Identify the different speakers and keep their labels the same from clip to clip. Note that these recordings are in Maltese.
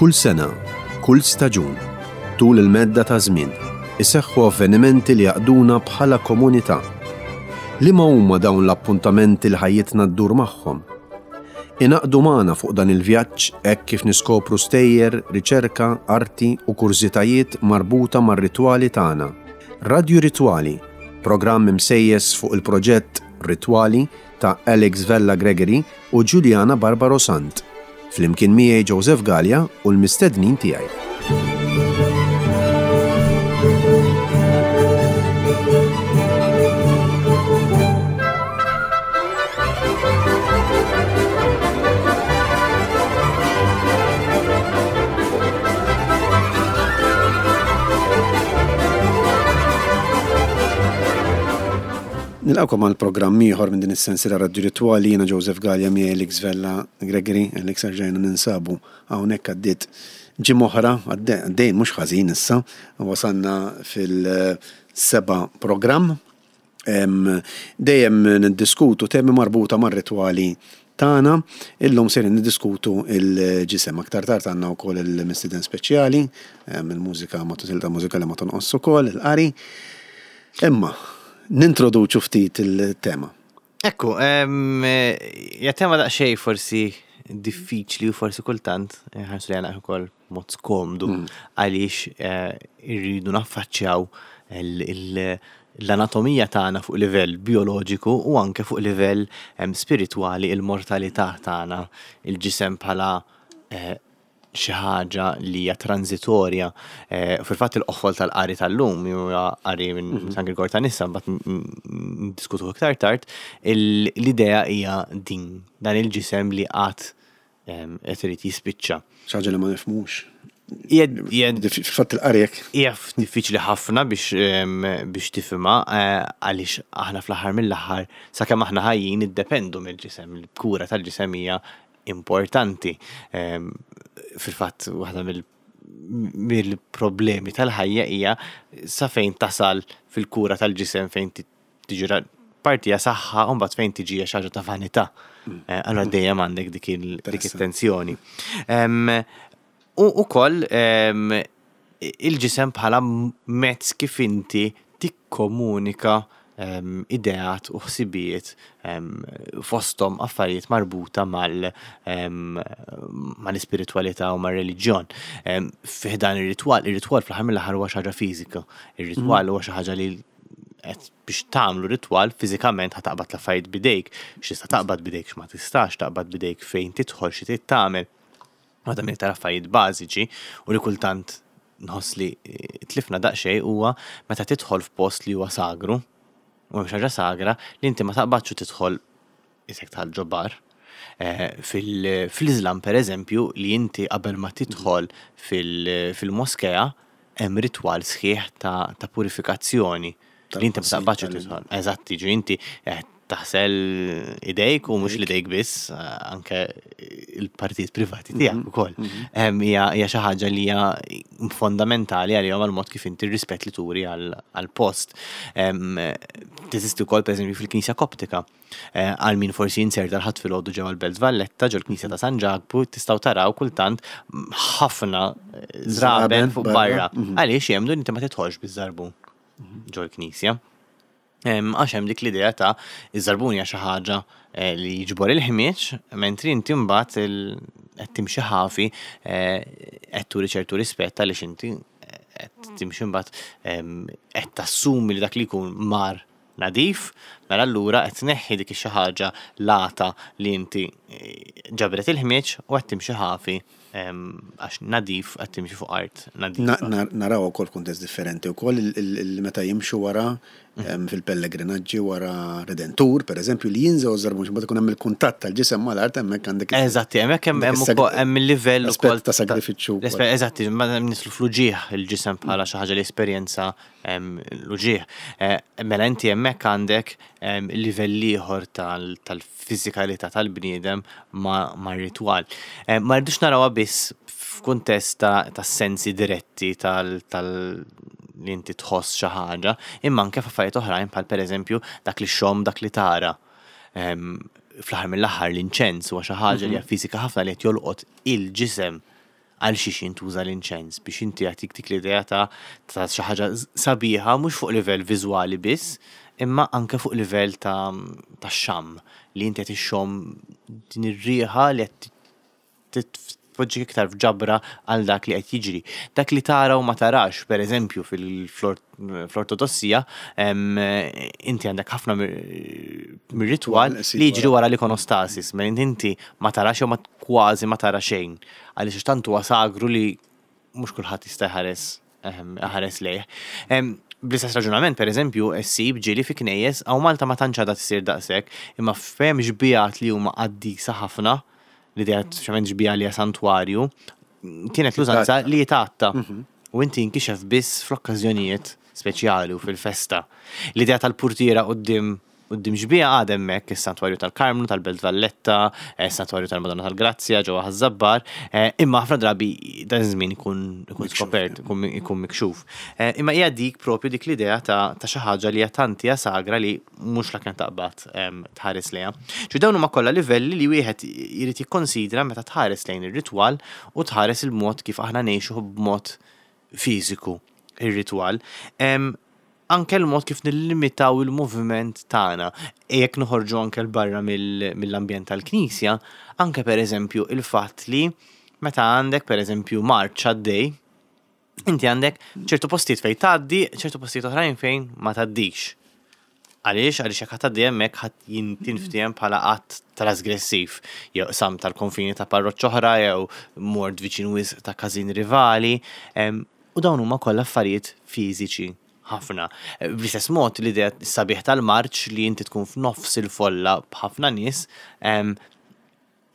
Speaker 1: Kull sena, kull staġun, tul il-medda ta' żmien, iseħħu avvenimenti li jgħaqqduna bħala komunità. Liema huma dawn l-appuntamenti li ħajjitna ddur magħhom? Ingħaqdu magħna fuq dan il-vjaġġ hekk kif niskopru stejjer, riċerka, arti u kurżitajiet marbuta mar-ritwali tagħna. Radju Ritwali, programm imsejjes fuq il-proġett Ritwali ta' Alex Vella Gregory u Juliana Barbaro Sant. Flimkien miegħi Joseph Galea u l-mistednin tiegħi. Nilqakom għal programm ieħor minn din is-sensiela Radio Ritwali, jiena Joseph Galea miegħi Alex Vella Gregory, Alex erġajna ninsabu hawnhekk għaddiet ġimgħa oħra, għaddejn mhux ħażin issa, wasalna fil-seba' programm. Dejjem niddiskutu temi marbuta mar-ritwali tagħna. Illum sejrin niddiskutu l-ġisem. Aktar tard għandna wkoll il-mistieden speċjali, il-mużika ma silta mużikali ma tonqos ukoll, il-qari. Imma, nintroduċu ftit il-tema.
Speaker 2: Ekku, hija tema daqsxejn forsi diffiċli u forsi kultant ħarsu li għana ukoll mod skomdu mm. għaliex eh, irridu naffaċċjaw l-anatomija tagħna fuq livell bioloġiku u anke fuq livell spiritwali il-mortalità tagħna, il-ġisem bħala eh, xi ħaġa li hija transitorja. Eh, fil-fatt il-qofol tal-qari tal-lum huwa qari minn mhm. San Grigor ta' Nissa, mbagħad ndiskutu iktar tard, l-idea hija din dan il-ġisem li qatt qed irid jispiċċa.
Speaker 1: Xi ħaġa li ma nifhmux. Fil-fatt il-qari hekk.
Speaker 2: Hija diffiċli ħafna biex biex tifhimha eh, għaliex aħna fl-aħħar mill-aħħar sakemm aħna ħajjin iddependu mill-ġisem, il-kura tal-ġisem hija importanti. Fil-fatt waħda mill mill-problemi tal-ħajja hija sa fejn tasal fil-kura tal-ġisem fejn tiġi parti hija saħħa u mbagħad fejn tiġi hija xi ħaġa ta' vanità. Mm. Eh, allura mm. dejjem għandek dik it-tensjoni. U ukoll il-ġisem bħala mezz kif inti tikkomunika ideat u ħsibijiet fosthom affarijiet marbuta mal mal-ispiritwalità u mar-reliġjon. Fih dan ir-ritwal, ir-ritwal fl-aħħar mill-aħħar huwa xi ħaġa fiżika. Ir-ritwal huwa xi ħaġa li qed biex tagħmlu ritwal fiżikament ħa taqbad l-affarijiet b'idejk, x'tista' taqbad b'idejk, x'ma tistax taqbad b'idejk, fejn tidħol, xi trid tagħmel. Waħda mill-iktar affarijiet bażiċi u li kultant nħoss li eh, tlifna daqsxejn huwa meta tidħol f'post li huwa sagru, u hemm xi ħaġa sagra li inti ma taqbadx u tidħol isek tħal ġo bar. Eh, fil-Iżlam per eżempju li inti qabel ma tidħol fil-moskea hemm ritwal sħiħ ta' purifikazzjoni li inti ma taqbadx u tidħol. Eżatt, jiġri inti eh, taħsel idejk u mhux l-idejk biss, anke il-partijiet privati tiegħek mhm. ukoll. Mhm. Hija xi ħaġa li hija fondamentali għalihom għal mod kif inti rispett li turi għall-post. Teżisti wkoll pereżempju fil-Knisja Koptika. Eh, għal min forsi jinserta l-ħadd filgħodu ġewwa l-Belt Valletta, ġol knisja ta' San Ġakbu, tistgħu taraw kultant ħafna eh, żraben fuq barra. Mhm. Għaliex jemdu inti ma tidħolx biż-żarbun ġol-knisja. Għax hemm dik l-idea ta' iż-żarbun hija xi ħaġa eh, li jiġbor il-ħmieġ, mentri inti mbagħad qed timxi ħafi eh, qed turi ċertu rispett għaliex inti eh, qed timxi mbagħad qed tassumi li dak li jkun mar nadif, mela allura qed tneħħi dik xi ħaġa lata li inti ġabret il-ħmieġ u qed timxi ħafi għax nadif qed timxi fuq art nadifa.
Speaker 1: Naraw ukoll kuntest differenti wkoll meta jimxu wara mm. fil-pellegrinaġġi wara Redentur, pereżempju, li jinżgħu żarbun mbagħad ikun hemm il-kuntatt tal-ġisem mal-art hemmhekk għandek.
Speaker 2: Eżatti, hemmhekk hemm hemm il-livell
Speaker 1: ukoll ta' sagrifiċċju.
Speaker 2: Eżatti, ma nislu fl-uġigħ il-ġisem bħala xi ħaġa li esperjenza l-uġigħ. Eh, mela inti hemmhekk għandek livell ieħor tal-fiżikalità tal-bniedem mar-ritwal. Ma rridux narawha biss f'kuntest ta' sensi diretti tal li inti tħoss xi ħaġa, imma anke f'affarijiet oħrajn bħal pereżempju dak li xxomm, dak li tara. Fl-aħħar mill-aħħar l-inċens huwa xi ħaġa li hija mhm. fiżika ħafna li qed jolqot il-ġisem. Għal xiex jintuża l-inċens? Biex inti jagħtik dik l-idea ta' ta' xi ħaġa sabiħa mhux fuq livell viżwali biss, imma anke fuq livell ta' ta' xamm li inti qed ixxomm din ir-riħa li qed tpoġġik iktar f'ġabra għal dak li qed jiġri. Dak li tara u ma tarax, per eżempju, fl-Ortodossija, inti għandek ħafna mir-ritwal li jiġri wara l-ikonostasis, mela inti ma tarax jew kważi ma tara xejn. Għaliex tant huwa sagru li mhux kulħadd jista' jħares ħares lejh. Bl-istess raġunament, per eżempju, ssib ġieli fi knejjes, hawn Malta ma tantx għadha tisir daqshekk, imma f'hemm xbiehat li huma qaddisa ħafna, l-idea speċjalment xbieha li hija santwarju, kienet l-użanza li jitgħatta. U inti jinkixef biss fl-okkażjonijiet speċjali u fil-festa. L-idea tal-purtiera quddiem Quddiem xbieha għad hemmhekk is-Santwarju tal-Karmnu tal-Belt Valletta, is-Santwarju tal-Madonna tal-Grazzja ġewwa Ħaż-Żabbar, imma ħafna drabi dan iż-żmien ikun ikun skopert, ikun ikun mikxuf. Imma hija dik propju dik l-idea ta' ta' xi ħaġa li hija tant hija sagra li mhux la kemm taqbad tħares lejha. Ġifieri dawn huma kollha livelli li wieħed irid jikkonsidra meta tħares lejn ir-ritwal u tħares il-mod kif aħna ngħixu b'mod fiżiku ir-ritwal. Anke l-mod kif nillimitaw il-moviment tagħna. Jekk noħorġu anke 'l barra mill-ambjent tal-knisja, anke pereżempju il-fatt li meta għandek pereżempju marċ għaddej, inti għandek ċertu postijiet fejn tgħaddi, ċertu postijiet oħrajn fejn ma tgħaddix. Għaliex? Għaliex jekk ħa tgħaddi hemmhekk ħa tinftiehem bħala att trasgressiv, jew qsam tal-konfini ta' parroċċa oħra jew mort viċin wisq ta' każin rivali. U dawn huma kollha affarijiet fiżiċi ħafna. Bl-istess mod l-idea sabiħ tal-marċ li inti tkun f'nofs il-folla b'ħafna nies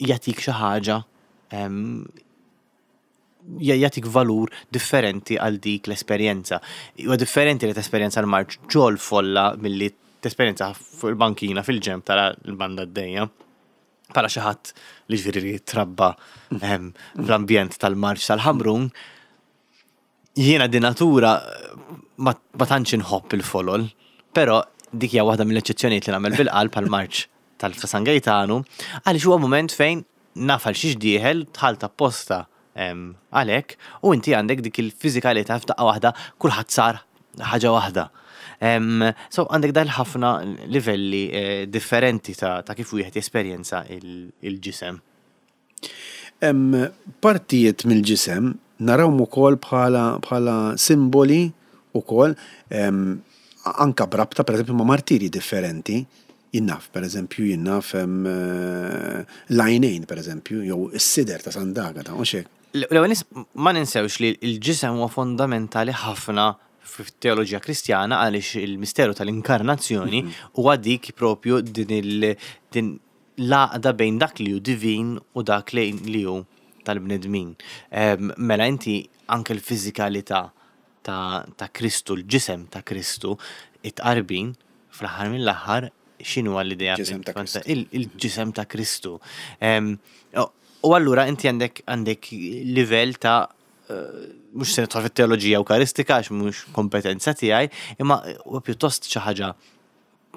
Speaker 2: jagħtik xi ħaġa jagħtik valur differenti għal dik l-esperjenza. Huwa differenti li tesperjenza l-marċ ġol folla milli tesperjenza fuq il-bankina fil-ġenb tara l-banda għaddejja. Bħala xi ħadd li ġifieri li trabba fl-ambjent tal-marċ tal-Ħamrun, jiena di natura ma tantx inħobb il-folol, però dik hija waħda mill-eċċezzjonijiet li nagħmel bil-qalb għall-marċ tal-San Gejtanu, għaliex huwa mument fejn naf għal xiex dieħel, dħalt apposta għalhekk, u inti għandek dik il-fiżikalità f'daqqa waħda kulħadd sar ħaġa waħda. So għandek dal ħafna livelli eh, differenti ta', ta kif wieħed jesperjenza il-ġisem.
Speaker 1: Hemm partijiet mill-ġisem narawhom ukoll bħala bħala simboli ukoll anka b'rabta pereżempju ma' martirji differenti. Jien naf, pereżempju, jien naf l-għajnejn pereżempju, jew is-sider ta' Sant'Agata, mhux hekk?
Speaker 2: L-ewwel nett ma ninsewx li l-ġisem huwa fondamentali ħafna fit-teoloġija Kristjana għaliex il-misteru tal-inkarnazzjoni huwa dik propju din il din l-għaqda bejn dak li hu divin u dak li hu tal-bnedmin. Mela inti anke l-fiżikalità ta' Kristu, l-ġisem ta' Kristu, it-tqarbin, fl-aħħar mill-aħħar, x'inhu l-idea? Il-ġisem ta' Kristu. U allura inti għandek għandek livell ta' mhux se nidħol fit-teoloġija Ewkaristika għax mhux kompetenza tiegħi, imma huwa pjuttost xi ħaġa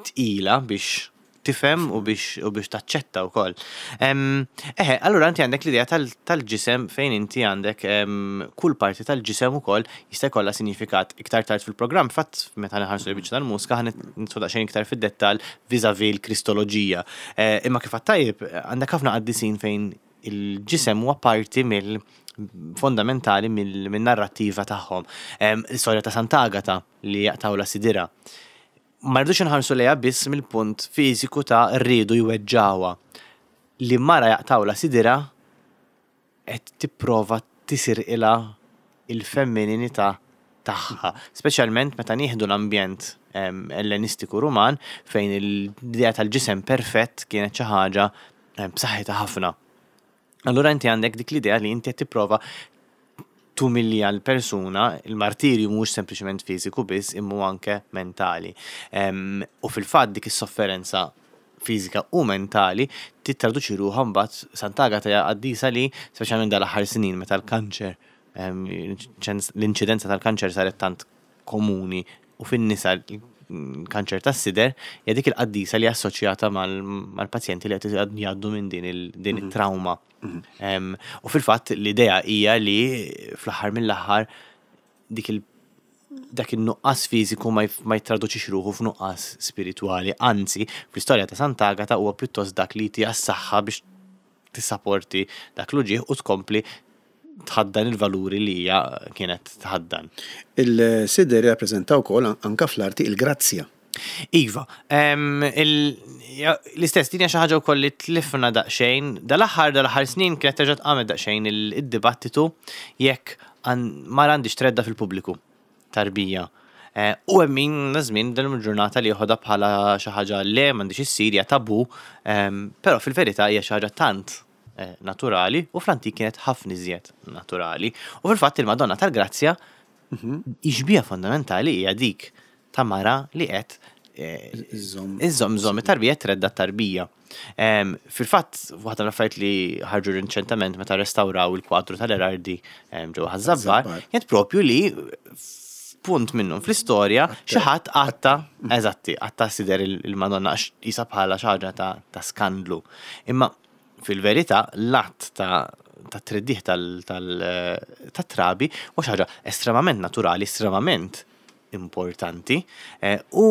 Speaker 2: tqila biex tifhem u biex u biex taċċetta wkoll. Eħe, allura inti għandek l-idea tal-ġisem fejn inti għandek kull parti tal-ġisem ukoll jista' jkollha sinifikat iktar tard fil-programm. Fatt meta nħarsu l-biċċa tal-mużika ħa nidħlu daqsxejn iktar fid-dettall vis-à-vis l-Kristoloġija. Eh, imma kif tajjeb għandek ħafna qaddisin fejn il-ġisem huwa parti mill fondamentali mill-narrattiva tagħhom. L-istorja ta' Sant'Agata li jaqtawla sidira. Ma rridux inħarsu lejha biss mill-punt fiżiku ta' riedu jweġġgħuha. Li mara jaqtgħulha sidirha qed tipprova tisirqilha l-femmininità tagħha, speċjalment meta nieħdu l-ambjent Ellenistiku Ruman fejn l-idea tal-ġisem perfett kienet xi ħaġa b'saħħitha ħafna. Allura inti għandek dik l-idea li inti qed tipprova tumilja l-persuna, il-martirju mhux sempliċement fiżiku biss, imma anke mentali. U fil-fatt dik is-sofferenza fiżika u mentali tittraduċi ruħha mbagħad Sant'Agata hija qaddisa li speċjalment dal-aħħar snin meta l-kanċer l-inċidenza tal-kanċer saret tant komuni u fin-nisa. kanċer tas-sider, hija dik il-qaddisa li assoċjata mal-pazjenti li qed jgħaddu minn din it-trauma. U fil-fatt l-idea hija li fl-aħħar mill-aħħar dik il dak in-nuqqas fiżiku ma jittraduċix ruħu f'nuqqas spiritwali, anzi, fl-istorja ta' Sant'Agata huwa pjuttost dak li jtiha s-saħħa biex tissaporti dak l-uġigħ u tkompli tħaddan il-valuri li hija kienet tħaddan.
Speaker 1: Il-sider jirrappreżenta wkoll anke fl-arti il-grazzja.
Speaker 2: Iva, l-istess din hija xi ħaġa wkoll li tlifna daqsxejn. Dal-aħħar dal-aħħar snin kienet terġa' tqamet daqsxejn id-dibattitu jekk mara għandhiex tredda fil-pubbliku tarbija. Eh, u hemm min żmien din il-ġurnata li joħodha bħala xi ħaġa le m'għandix issir hija tabu, però fil-verità hija xi ħaġa tant eh, naturali u fl-antik kienet ħafna iżjed naturali. U fil-fatt il-Madonna tal-Grazzja ix-xbieha fondamentali hija dik ta' mara li qed eh, iżżomm iżżomm it-tarbija tredda t-tarbija. Fil-fatt, waħda mill-affarijiet li ħarġu riċentement meta restawraw il-kwadru tal-Erardi ġewwa Ħaż-Żabbar, kienet propju li punt minnhom fl-istorja xi ħadd qatta, eżatti, qatta sider il-Madonna għax qisha bħala xi ħaġa ta' skandlu. Imma fil-verità l-att ta' tat-treddigħ tat-trabi huwa xi ħaġa estremament naturali, estremament importanti u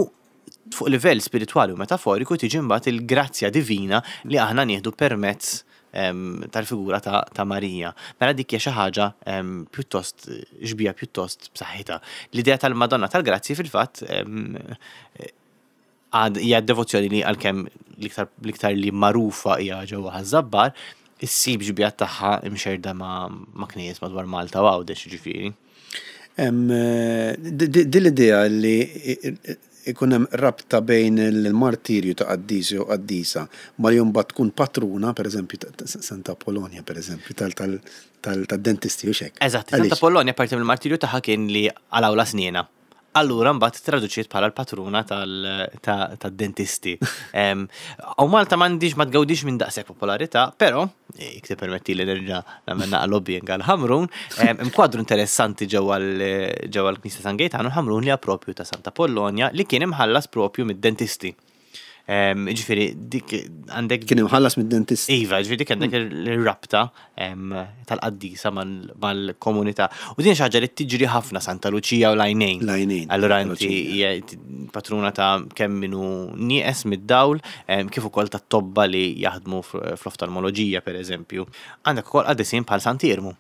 Speaker 2: fuq livell spiritwali u metaforiku tiġi mbagħad il-grazzja divina li aħna nieħdu permezz tal-figura ta' Marija. Mela dik hija xi ħaġa pjuttost xbieha pjuttost b'saħħitha. L-idea tal-Madonna tal-Grazzji fil-fatt għad hija devozzjoni li għalkemm l-iktar li magħrufa hija ġewwa Ħaż-Żabbar, issib xbieha tagħha imxerrda ma' knejjes madwar Malta u Għawdex jiġifieri.
Speaker 1: Din l-idea li ikun hemm rabta bejn il-martirju ta' qaddis jew qaddisa ma li mbagħad tkun patruna, pereżempju Santa Apollonia pereżempju tad-dentisti hux hekk?
Speaker 2: Eżatt, Santa Apollonia parti mill-martirju tagħha kien li qalgħulha snienha. Allura mbagħad traduċiet bħala l-patruna tad-dentisti. U Malta m'għandix ma tgawdix minn daqshekk popolarità, però jekk tippermetti li nerġa' nagħmel naqa' lobbying għal Ħamrun, hemm kwadru interessanti ġewwa l-Knisja San Gejtanu Ħamrun li hija propju ta' Santa Pollonia li kien imħallas propju mid-dentisti. Ġifieri dik għandek.
Speaker 1: Kien imħallas mid-dentist.
Speaker 2: Iva, ġifieri dik għandek ir-rabta tal-qaddisa mal-komunità. U din xi ħaġa li tiġri ħafna Santa Luċija u l-għajnejn.
Speaker 1: L-għajnejn.
Speaker 2: Allura inti hija patruna ta' kemm minnu nieqes mid-dawl, kif ukoll ta' tobba li jaħdmu fl-oftalmoloġija pereżempju. Għandek ukoll qaddisin bħal Sant'Iermu.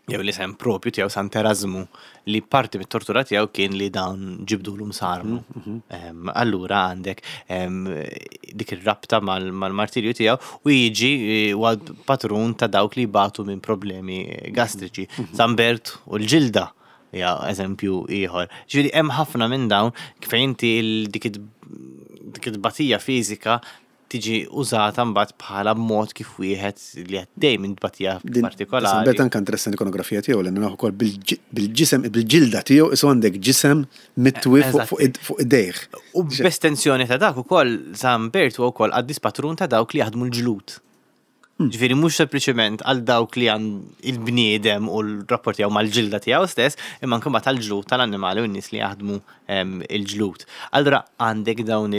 Speaker 2: jew l-isem propju tiegħu Sant Erasmu li parti mit-tortura tiegħu kien li dawn ġibdulu msarmu. Mhm, mhm. Allura għandek dik ir-rabta mal-martirju tiegħu u jiġi eh, patrun ta' dawk li batu minn problemi gastriċi. Mhm, San Bert u l-ġilda ja eżempju ieħor. Ġifieri hemm ħafna minn dawn fejn inti dik it-tbatija fiżika tiġi użata mbagħad bħala mod kif wieħed li għaddej minn tbatija partikolari.
Speaker 1: Bert anke interessanti l-ikonografija tiegħu li naraw ukoll bil-ġisem, bil-ġilda tiegħu isu għandek ġisem mitwi fuq idejh.
Speaker 2: U b'estensjoni ta' dak ukoll San Bert huwa wkoll qaddis patrun ta' dawk li jaħdmu l-ġlud. Ġifieri mhux sempliċement għal dawk li għand il-bniedem u l-rapport tiegħu mal-ġilda tiegħu stess, imma anke mbagħad għall-ġlud tal-annimali u n-nies li jaħdmu il-ġlud. Allura għandek dawn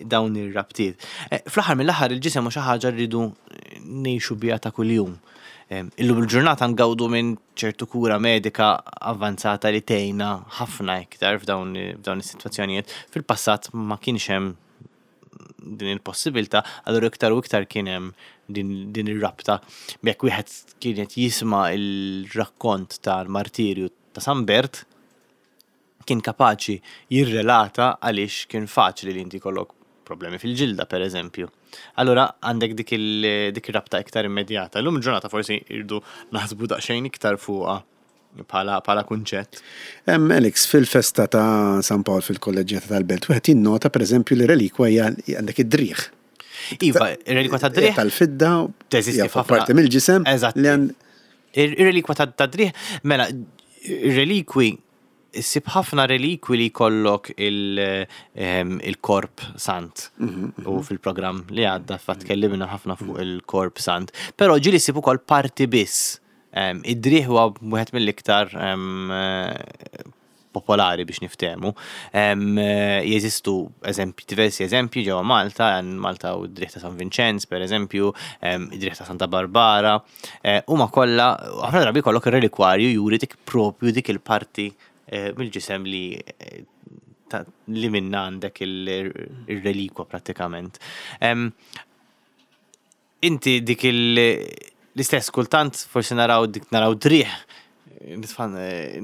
Speaker 2: dawn ir-rabtiet. Eh, fl-aħħar mill-aħħar il-ġisem hu xi ħaġa rridu ngħixu biha ta' kuljum. Illum il-ġurnata ngawdu minn ċertu kura medika avvanzata li tgħinna ħafna iktar f'dawn is-sitwazzjonijiet. Fil-passat ma kienx hemm din il-possibilità, allura iktar u iktar kien hemm din, din ir-rabta. Jekk wieħed kienet jisma' il-rakkont tal-martirju ta' San Bert, kien kapaċi jirrelata għaliex kien faċli li inti jkollok problemi fil-ġilda, per eżempju. Allura għandek dik ir-rabta iktar immedjata. Illum il-ġurnata forsi irdu naħsbu daqsxejn iktar fuqha bħala kunċett.
Speaker 1: Alex, fil-festa ta' San Pawl fil-Kolleġġjata tal-Belt, wieħed jinnota pereżempju li relikwa hija għandek id-driegħ.
Speaker 2: Iva, ir-relikwa tad-driegħ.
Speaker 1: Tal-fidda.
Speaker 2: Teżisti f'ħafna.
Speaker 1: Parti mill-ġisem.
Speaker 2: Eżatt. Ir-relikwa tad-driegħ, mela, ir-relikwi issib ħafna relikwi li jkollok il-korp sant. Mhm, mhm. U fil-programm li għadda fatt tkellimna ħafna fuq mhm. il-korp sant. Però ġieli ssib ukoll parti biss. Id-driegħ huwa wieħed mill-iktar popolari biex niftehmu. Jeżistu eżempji, diversi eżempji ġewwa Malta, Malta u d-driegħ ta' San Vinċenz, per eżempju, id-driegħ ta' Santa Barbara, huma kollha ħafna drabi jkollok ir-relikwarju juri dik propju dik il-parti mill-ġisem li li minna għandek il-relikwa prattikament. Inti dik l-istess kultant forsi naraw dik naraw driegħ nitfan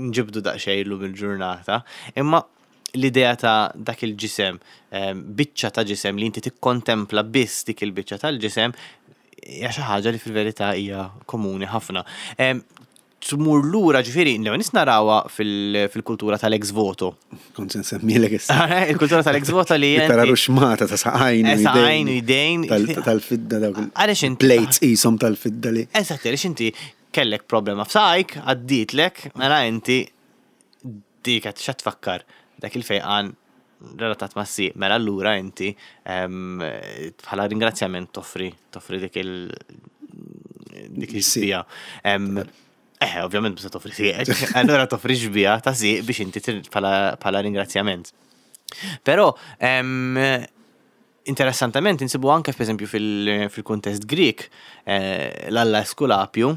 Speaker 2: nġibdu daqsxejn illum il-ġurnata, imma l-idea ta' dak il-ġisem, biċċa ta' ġisem li inti tikkontempla biss dik il-biċċa tal-ġisem hija xi ħaġa li fil-verità hija komuni ħafna. Tmur lura ġifieri, l-ewwel nies narawha fil-kultura tal-ex voto.
Speaker 1: Kont se nsemmilek issa.
Speaker 2: Il-kultura tal-ex voto li
Speaker 1: Tara ruxmata ta' saqajn.
Speaker 2: Eh, saqajn u jdejn.
Speaker 1: Tal-fidda dawk.
Speaker 2: Għaliex inti.
Speaker 1: Plates qishom tal-fidda li.
Speaker 2: Eżatt, għaliex inti kellek problema f'saqajk, għaddietlek, mela inti dik qed x'qed tfakkar dak il-fejqan relatat ma' sieq, mela allura inti bħala ringrazzjament toffri toffri dik il dik il-xbija. Eh, ovvjament biex toffri sieqek, allura toffri xbija ta' sieq biex inti bħala ringrazzjament. Però Interessantament insibu anke pereżempju fil-kuntest Grieg, eh, l-Alla Eskulapju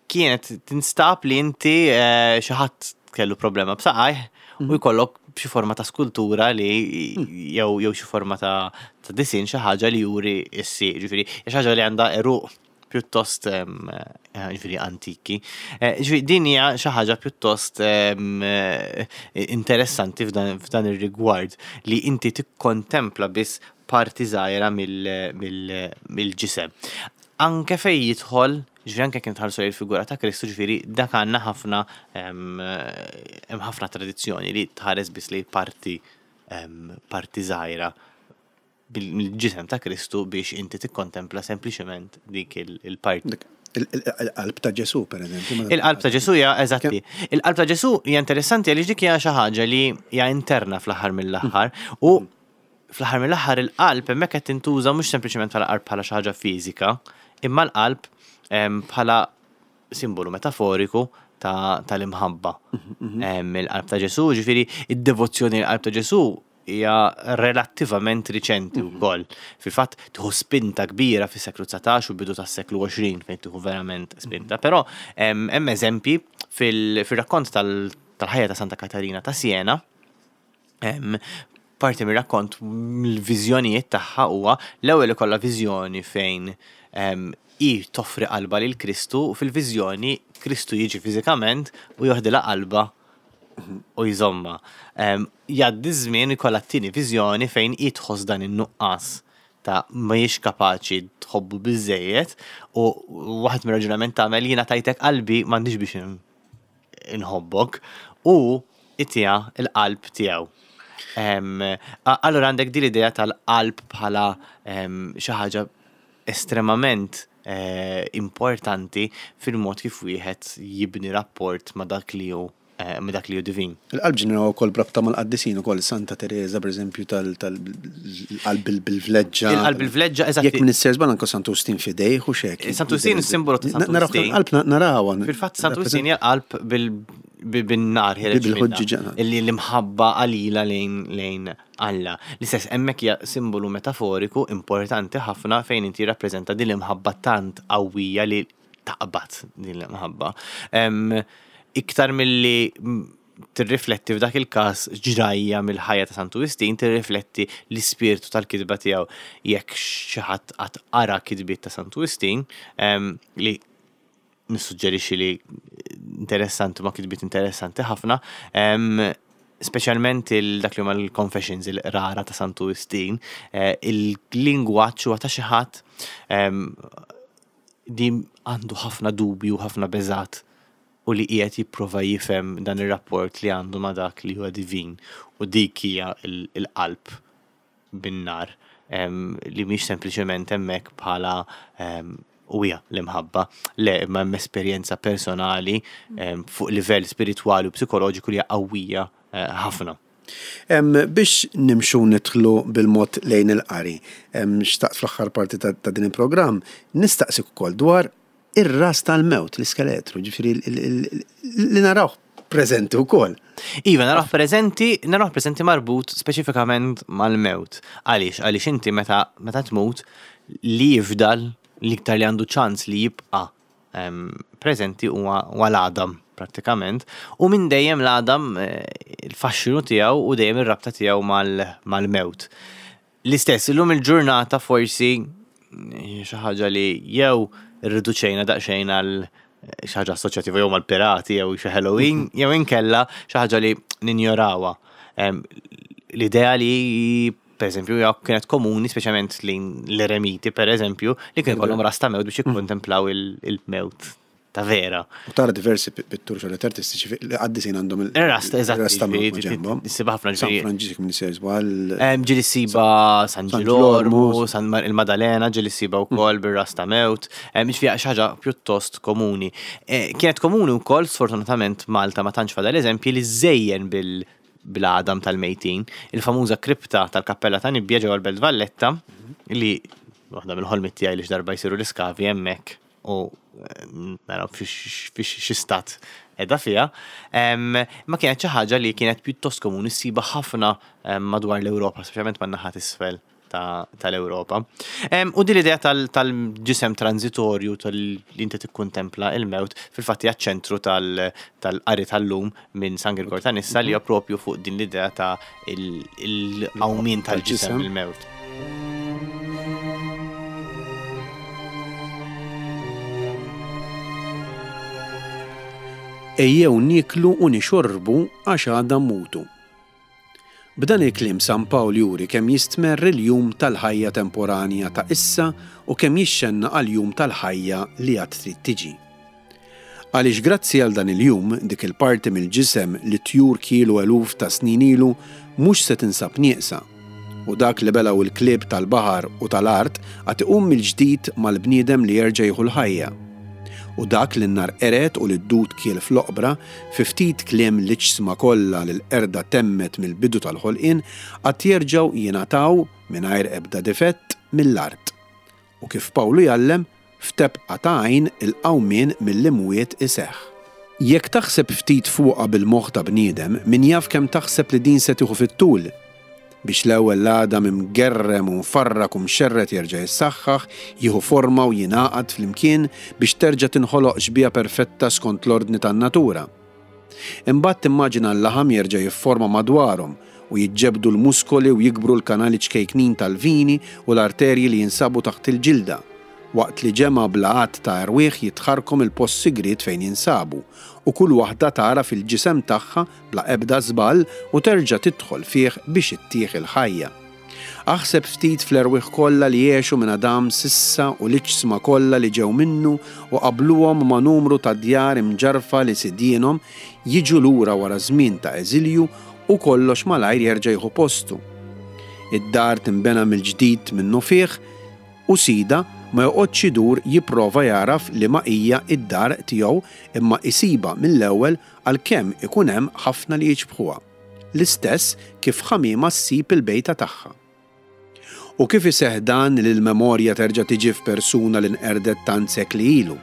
Speaker 2: kienet tinstab li inti eh, xi ħadd kellu problema b'saqajh u mhm. jkollok xi forma ta' skultura li mm. jew jew xi forma ta' ta' disin xi ħaġa li juri s-sieq, ġifieri xi ħaġa li għandha eruq pjuttost eh, ġifieri antiki. Eh, ġifieri din hija xi ħaġa pjuttost eh, interessanti f'dan ir-rigward li inti tikkontempla biss parti żgħira mill-ġisem. Anke fejn jidħol, ġifieri anke kien tħarsu il-figura ta' Kristu, ġifieri dak għandna ħafna hemm ħafna tradizzjoni li tħares biss li parti parti żgħira mill-ġisem ta' Kristu biex inti tikkontempla sempliċement dik il-parti.
Speaker 1: Il-qalb ta' Ġesu, per eżempju.
Speaker 2: Il-qalb ta' Ġesu hija eżatti. Il-qalb ta' Ġesu hija interessanti għaliex dik hija xi ħaġa li hija interna fl-aħħar mill-aħħar u fl-aħħar mill-aħħar il-qalb hemmhekk qed tintuża mhux sempliċement bħala qalb bħala xi ħaġa fiżika, imma l-qalb bħala simbolu metaforiku tal-imħabba. Il-qalb ta' Ġesu, ġifieri id-devozzjoni l-qalb ta' Ġesu hija relattivament riċenti wkoll. Fil-fatt tieħu spinta kbira fis-seklu 19 u bidu tas-seklu 20 fejn tieħu verament spinta. Però hemm eżempji fil-rakkont tal-ħajja ta' Santa Katarina ta' Siena, parti mir-rakkont mill-viżjonijiet tagħha huwa l-ewwel ikollha viżjoni fejn hi toffri qalbha lil Kristu u fil-viżjoni Kristu jiġi fiżikament u joħdilha qalbha u jżommha. Jgħaddi ż-żmien ikollha t-tieni viżjoni fejn hi tħoss dan in-nuqqas ta' mhijiex kapaċi tħobbu biżżejjed u waħed mir-raġunament tagħmel jiena tajtek qalbi m'għandix biex inħobbok u itiha l-qalb tiegħu. Allura għandek din l-idea tal-qalb bħala xi ħaġa estremament importanti fil-mod kif wieħed jibni rapport ma' dak li hu ma' dak li hu divin.
Speaker 1: Il-qalb ġieli narawha wkoll b'rabta mal-qaddisin ukoll, Santa Tereża pereżempju tal-qalb bil-vleġġa.
Speaker 2: Il-qalb bil-vleġġa, eżatt.
Speaker 1: Jekk m'iniex sejjer żball anke Santu Wistin f'idejh u x'hekk.
Speaker 2: Santu Wistin is-simbolu ta' Santu Wistin.
Speaker 1: Narawha l-qalb narawha.
Speaker 2: Fil-fatt Santu Wistin hija l-qalb bil-nar ħiereġ minnha. Illi l-imħabba qalila lejn Alla. L-istess hemmhekk hija simbolu metaforiku importanti ħafna fejn inti jirrappreżenta din l-imħabba tant qawwija li taqbad din l-imħabba. Iktar milli tirrifletti f'dak il-każ ġrajja mill-ħajja ta' Santu Wistin, tirrifletti l-ispirtu tal-kitba tiegħu. Jekk xi ħadd qatt qara kitbiet ta' Santu Wistin, li nissuġġerixxi li interessanti ma kitbiet interessanti ħafna, speċjalment dak li huma l-confessions, il-qrara ta' Santu Wistin, eh, il-lingwaġġ huwa ta' xi ħadd li għandu ħafna dubju, ħafna beżat u li qiegħed jipprova jifhem dan ir-rapport li għandu ma' dak li huwa divin u dik hija l-qalb bin-nar li mhix sempliċement hemmhekk bħala u hija l-imħabba. Le, imma hemm esperjenza personali fuq livell spiritwali u psikoloġiku li hija qawwija eh, ħafna.
Speaker 1: Biex nimxu nidħlu bil-mod lejn il-qari, xtaqt fl-aħħar parti ta' din il-programm nistaqsik ukoll dwar ir-ras tal-mewt, l-iskeletru, ġifieri li narawh. preżenti wkoll.
Speaker 2: Iva, narawh preżenti, narawh preżenti marbut speċifikament mal-mewt. Għaliex? Għaliex inti meta meta tmut li jifdal l-iktar li għandu ċans li jibqa' preżenti huwa l-għadam prattikament u minn dejjem l-għadam eh, il-faxxinu tiegħu u dejjem ir-rabta tiegħu mal-mewt. L-istess, illum il-ġurnata forsi eh, xi ħaġa li jew irriduċejna daqsxejn għal eh, xi ħaġa assoċjattiva jew mal-pirati jew xi Halloween, jew inkella xi ħaġa li ninjorawha. L-idea li per eżempju, kienet komuni, speċjalment lejn l-eremiti, per eżempju, li kien kollhom rasta mewt biex jikkontemplaw il-mewt ta' vera.
Speaker 1: U tara diversi pitturi xogħlijiet artistiċi li qaddisin għandhom
Speaker 2: il-rasta, eżatt, rasta ġenbhom. Siba ħafna
Speaker 1: San Franġisk minn sejs
Speaker 2: żball. Ġieli siba San Ġilormu, San il-Madalena ġieli siba wkoll bir-rasta mewt. Ġifieri xi ħaġa pjuttost komuni. Eh, kienet komuni wkoll sfortunatament Malta ma tantx fadal eżempji li żejjen bil bl-għadam tal-mejtin, il-famuża kripta tal-Kappella ta' Nibbia ġewwa l-Belt Valletta, li waħda mill-ħolmiet tiegħi li x'darba jsiru l-iskavi hemmhekk u eh, naraw fix stat edha fiha, ma kienet xi ħaġa li kienet pjuttost komuni ssiba ħafna madwar l-Ewropa, speċjalment man-naħa t'isfel tal-Ewropa. U din l-idea tal-ġisem transitorju tal-li inti tikkuntempla il-mewt fil-fatt hija ċentru tal-qari tal-lum minn San Girgor ta' Nissa li hija propju fuq din l-idea ta' il-qawmien tal-ġisem il-mewt.
Speaker 1: Ejjew nieklu u nixorbu għax għada mmutu. B'dan il-kliem San Pawl juri kemm jistmerr il-jum tal-ħajja temporanja ta' issa u kemm jixxennaq għall-jum tal-ħajja li għad trid tiġi. Għaliex grazzi għal dan il-jum, dik il-parti mill-ġisem li t-tjur kielu eluf ta' snin ilu mhux se tinsab nieqsa, u dak li belgħu l-klieb tal-baħar u tal-art għad iqum mill-ġdid mal-bniedem li jerġa' jieħu l-ħajja. U dak li n-nar qered u li d-dud kiel fl-oqbra, fi ftit kliem l-iġsma kollha li l-qerda temmet mill-bidu tal-ħolqien, għad jerġgħu jingħataw, mingħajr ebda difett, mill-art. U kif Pawlu jgħallem, f'tebqa ta' għajn il-qawmien mill-imwiet iseħħ. Jekk taħseb ftit fuqha bil-moħħ ta' bniedem, min jaf kemm taħseb li din se tieħu fit-tul? Biex l-ewwel l-għadam imgerrem u mfarrak u mxerred jerġa' jissaħħaħ, jieħu forma u jingħaqad flimkien biex terġa' tinħoloq xbieha perfetta skont l-ordni tan-natura. Imbagħad timmaġina l-laħam jerġa' jifforma madwarhom u jiġġebbdu l-muskoli u jikbru l-kanali ċkejknin tal-vini u l-arterji li jinsabu taħt il-ġilda, waqt li ġemgħa bla għadd ta' erwieħ jitħarrku mill-post sigriet fejn jinsabu, u kull waħda tagħraf il-ġisem tagħha bla ebda żball u terġa' tidħol fih biex ittih il-ħajja. Aħseb ftit fl-erwieħ kollha li għexu minn Adam s'issa u l-iġsma kollha li ġew minnu u qabbluhom ma' numru ta' djar imġarrfa li sidienhom jiġu lura wara żmien ta' eżilju u kollox malajr jerġa' jieħu postu. Id-dar tinbena mill-ġdid minnufih u sidha ma joqgħodx idur jipprova jagħraf liema hija d-dar tiegħu imma jsibha mill-ewwel għalkemm ikun hemm ħafna li jiċbħuha, l-istess kif ħamiema ssib il-bejta tagħha. U kif iseħħ dan li l-memorja terġa' tiġi f'persuna li nqerdet tant sekli ilu?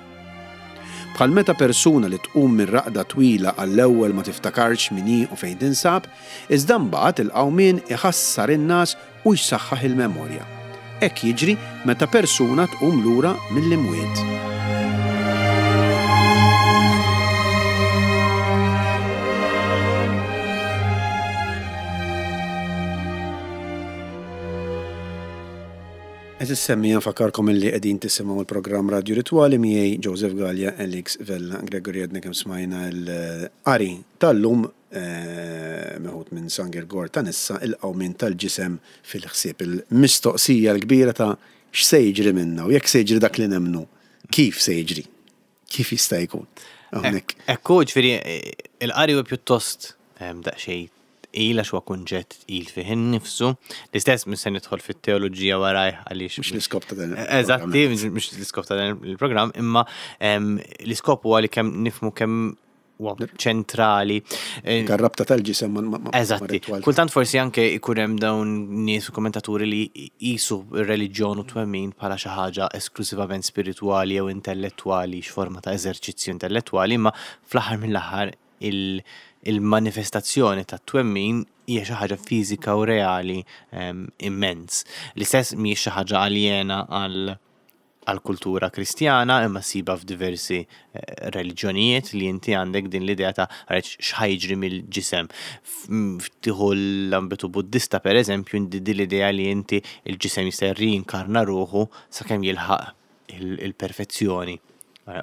Speaker 1: Bħal meta persuna li tqum minn raqda twila għall-ewwel ma tiftakarx min hi u fejn tinsab, iżda mbagħad il-qawmien iħassar in-ngħas u jsaħħaħ il-memorja. Hekk jiġri meta persuna tqum lura mill-imwiet. Għeżież semmiegħa nfakkarkom illi qegħdin tisimgħu l-programm Radju Ritwali miegħi Joseph Galea, Alex Vella, Gregory għedna kemm smajna l-qari tal-lum meħud minn San Girgor ta' Nissa, il-qawmien tal-ġisem fil-ħsieb. Il-mistoqsija l-kbira ta' x'se jiġri minna u jekk se jiġri dak li nemmnu, kif se jiġri? Kif jista' jkun?
Speaker 2: Hawnhekk. Ekku, ġifieri il-qari huwa pjuttost daqsxejn tqil għax huwa kunċett tqil fih innifsu. L-istess mhux se nidħol fit-teoloġija warajh għaliex.
Speaker 1: Mhux l-iskop ta' dan.
Speaker 2: Eżatti, mhux l-iskop ta' dan il-programm, imma l-iskop huwa li kemm nifhmu kemm huwa ċentrali.
Speaker 1: Eh, Garrabta tal-ġisem ma'
Speaker 2: Eżatti. Kultant forsi anke ikun hemm dawn nies u kommentaturi li jisu r-reliġjon u twemmin bħala xi ħaġa esklusivament spiritwali jew intellettwali, x'forma ta' eżerċizzju intellettwali, imma fl-aħħar mill-aħħar il-manifestazzjoni tat-twemmin hija xi ħaġa fiżika u reali immens. L-istess mhijiex xi ħaġa aljena għal għall-kultura Kristjana imma ssibha f'diversi reliġjonijiet li inti għandek din l-idea ta' għarriċ x'ħa jiġri mill-ġisem. Tieħu l-ambitu Buddista pereżempju inti din l-idea li inti l-ġisem jista' jirriinkarna ruħu sakemm jilħaq il-perfezzjoni.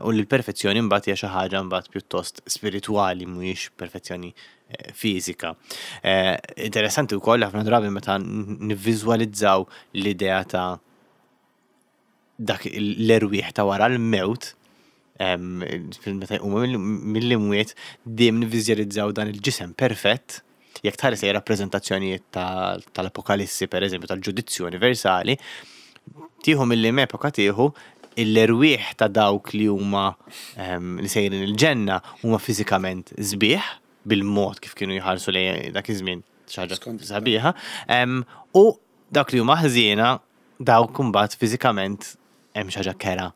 Speaker 2: U li l-perfezzjoni mbagħad hija xi ħaġa mbagħad pjuttost spiritwali mhijiex perfezzjoni fiżika. Interessanti wkoll ħafna drabi meta nivviżwalizzaw l-idea ta' dak l-erwieħ ta' wara l-mewt, meta jqumu mill-imwiet, dejjem nivviżjalizzaw dan il-ġisem perfett. Jekk tħares lejn rappreżentazzjonijiet tal-Apokalissi, per eżempju, tal-ġudizzju universali, tieħu mill-liem epoka tieħu l-erwieħ ta' dawk li huma li sejrin il-ġenna huma fiżikament sbieħ bil-mod kif kienu jħarsu lejn dak iż-żmien xi ħaġa sabiħa, u dawk li huma ħżiena dawk imbagħad fiżikament hemm xi ħaġa kera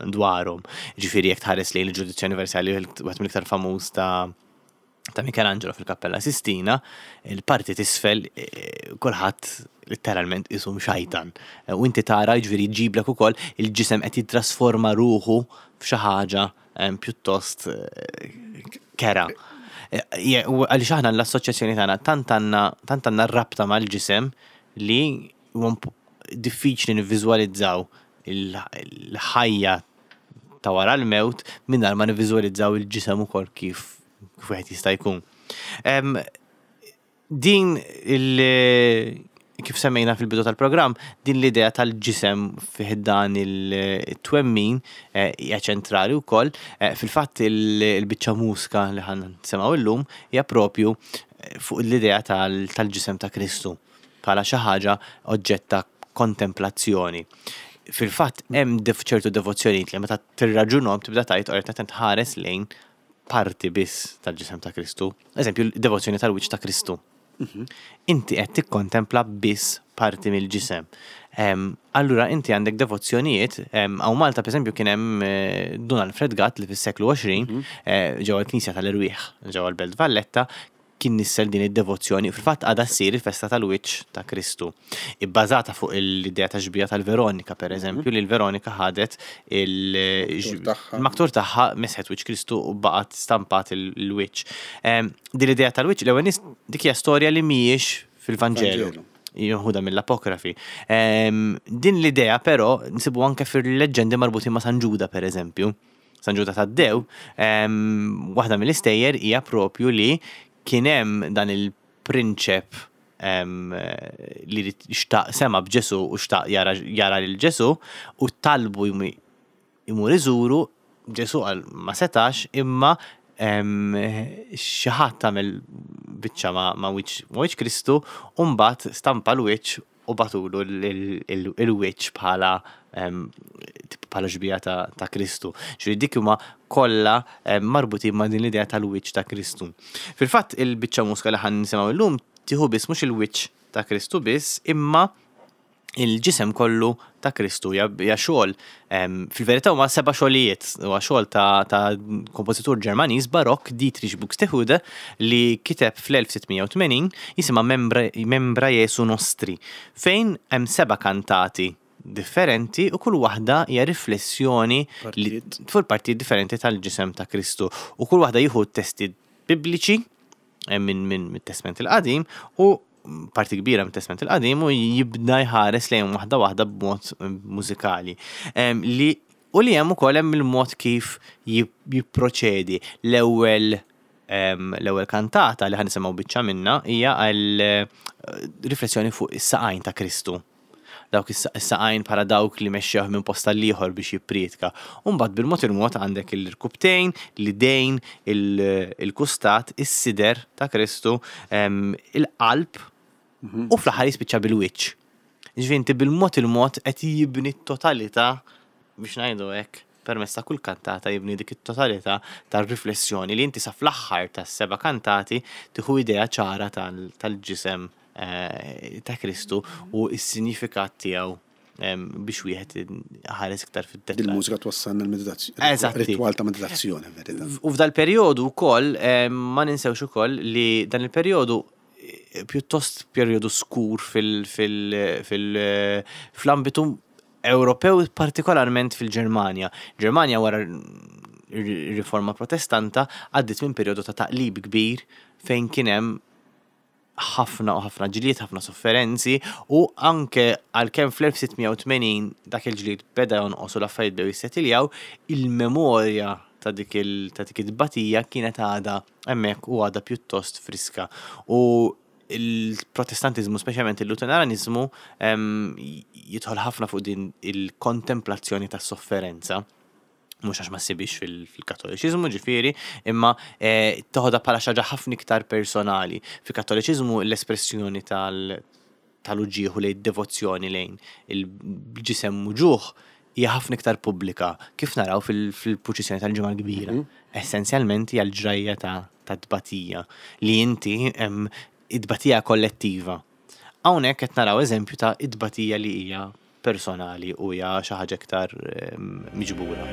Speaker 2: dwarhom. Ġifieri jekk tħares lejn il-ġudizzju universali wieħed mill-iktar famuż ta' ta' Michelangelo fil-Kappella Sistina, il-parti t'isfel eh, kulħadd letteralment isum xajtan. Eh, u inti tara ġifieri jġiblek ukoll il-ġisem qed jittrasforma ruħu f'xi ħaġa eh, pjuttost kera. Għaliex aħna l-assoċjazzjoni tagħna tant għandna tant għandna rabta mal-ġisem li diffiċli nivviżwalizzaw il-ħajja ta' wara l-mewt mingħajr ma nivviżwalizzaw il-ġisem ukoll kif kif wieħed jista' jkun. Din il- kif semmejna fil-bidu tal-programm, din l-idea tal-ġisem fih dan il-twemmin eh, hija ċentrali wkoll. Eh, fil-fatt il-biċċa mużika li ħan nisimgħu illum hija propju eh, fuq l-idea tal-ġisem ta' Kristu bħala xi ħaġa oġġett ta' kontemplazzjoni. Fil-fatt hemm ċertu devozzjonijiet li meta tirraġunhom tibda tgħid oretta tħares lejn parti biss tal-ġisem ta' Kristu. Eżempju, devozzjoni tal-wiċċ ta' Kristu. Mhm. Inti qed tikkontempla biss parti mill-ġisem. Allura inti għandek devozzjonijiet, hawn Malta pereżempju kien hemm eh, Dun Alfred Gatt li fis-seklu 20 mhm. eh, ġewwa l-Knisja tal-Erwieħ ġewwa l-Belt Valletta kien nissel din id-devozzjoni. Fil-fatt għadha ssir il-festa tal-wiċċ ta' Kristu. Ibbażata fuq l-idea ta' xbieha tal-Veronika, per eżempju, li l-Veronika ħadet il-maktur tagħha mesħet wiċċ Kristu u baqgħet stampat il-wiċċ. Din l-idea tal-wiċċ, l-ewwel nies dik hija storja li mhijiex fil-Vanġelu. Jeħudha mill-apokrafi. Din l-idea però nsibu anke fil-leġġendi marbutin ma' San Ġuda, per eżempju. San Ġuda Taddew, waħda mill-istejjer hija propju li kien hemm dan il-prinċep li xtaq sema b'Ġesu u xtaq jara lil Ġesu u talbu jmur iżuru, Ġesu qal ma setax imma xi ħadd għamel biċċa ma' wiċċ Kristu u mbagħad stampa l-wiċċ u bagħtulu l-wiċċ bħala bħala xbieha ta' Kristu. Ġifieri dik huma kollha marbutin ma' din l-idea tal-wiċċ ta' Kristu. Fil-fatt il-biċċa mużika li ħa nisimgħu llum tieħu biss mhux il-wiċċ ta' Kristu biss imma il-ġisem kollu ta' Kristu hija xogħol fil-verità huma seba' xogħlijiet, huwa xogħol ta', ta kompożitur Ġermaniż Barokk Dietrich Buxtehude li kiteb fl-1680 jisimha Membra, Membra Jesu Nostri fejn hemm seba' kantati differenti u kull waħda hija riflessjoni fuq partijiet differenti tal-ġisem ta' Kristu u kull waħda jieħu testi bibliċi eh, minn min, mit-Testment il-Qadim u parti kbira mit-Testment il-Qadim u jibda jħares lejn waħda waħda b'mod eh, mużikali. Li u li hemm ukoll hemm il-mod kif jipproċedi. L-ewwel l-ewwel kantata li ħa nisimgħu biċċa minna hija għal eh, riflessjoni fuq is-saqajn ta' Kristu dawk is-saqajn bħala dawk li mexxewh minn post għall-ieħor biex jipprietka. U mbagħad bil-mod il-mod għandek il-rkubtejn, l-idejn, il-kustat, is-sider ta' Kristu, il-qalb u fl-aħħar jispiċċa bil-wiċċ. Ġifieri inti bil-mod il-mod qed jibni t-totalità biex ngħidu hekk permezz ta' kull kantata jibni dik it-totalità tar-riflessjoni li inti sa fl-aħħar tas-seba' kantati tieħu idea ċara tal-ġisem ta' Kristu u s-sinjifikat tiegħu. biex wieħed ħares iktar fid-dettall.
Speaker 1: Il-mużika twassalna l-meditazzjoni. Ritwal ta' meditazzjoni, verità.
Speaker 2: U f'dal-perjodu wkoll ma ninsewx ukoll li dan il-perjodu eh, pjuttost perjodu skur fil-ambitu Ewropew partikolarment fil-Ġermanja. Ġermanja wara r-riforma protestanta għaddiet minn perjodu ta' taqlib kbir fejn kien hemm ħafna u ħafna ġlied, ħafna sofferenzi u anke għalkemm fl-1680 dak il-ġlied beda jonqos u l-affarijiet bdew jissetiljaw, il-memorja ta' dik it-tbatija kienet għadha hemmhekk u għadha pjuttost friska. U il-Protestantiżmu, speċjalment il-Luteraniżmu, jidħol ħafna fuq din il-kontemplazzjoni tas-sofferenza. Mhux għax ma ssibhiex fil-Kattoliċiżmu ġifieri, imma eh, toħodha bħala xi ħaġa ħafna iktar personali. Fil-Kattoliċiżmu l-espressjoni tal tal-uġigħ u lejn devozzjoni lejn il-ġisem muġugħ hija ħafna iktar pubblika, kif naraw fil-purċissjoni tal-Ġimgħa l-Kbira. Mhm. Essenzjalment hija l-ġrajja ta' tbatija li inti it-tbatija kollettiva. Hawnhekk qed naraw eżempju ta' it-tbatija li hija personali u hija xi ħaġa iktar miġbura.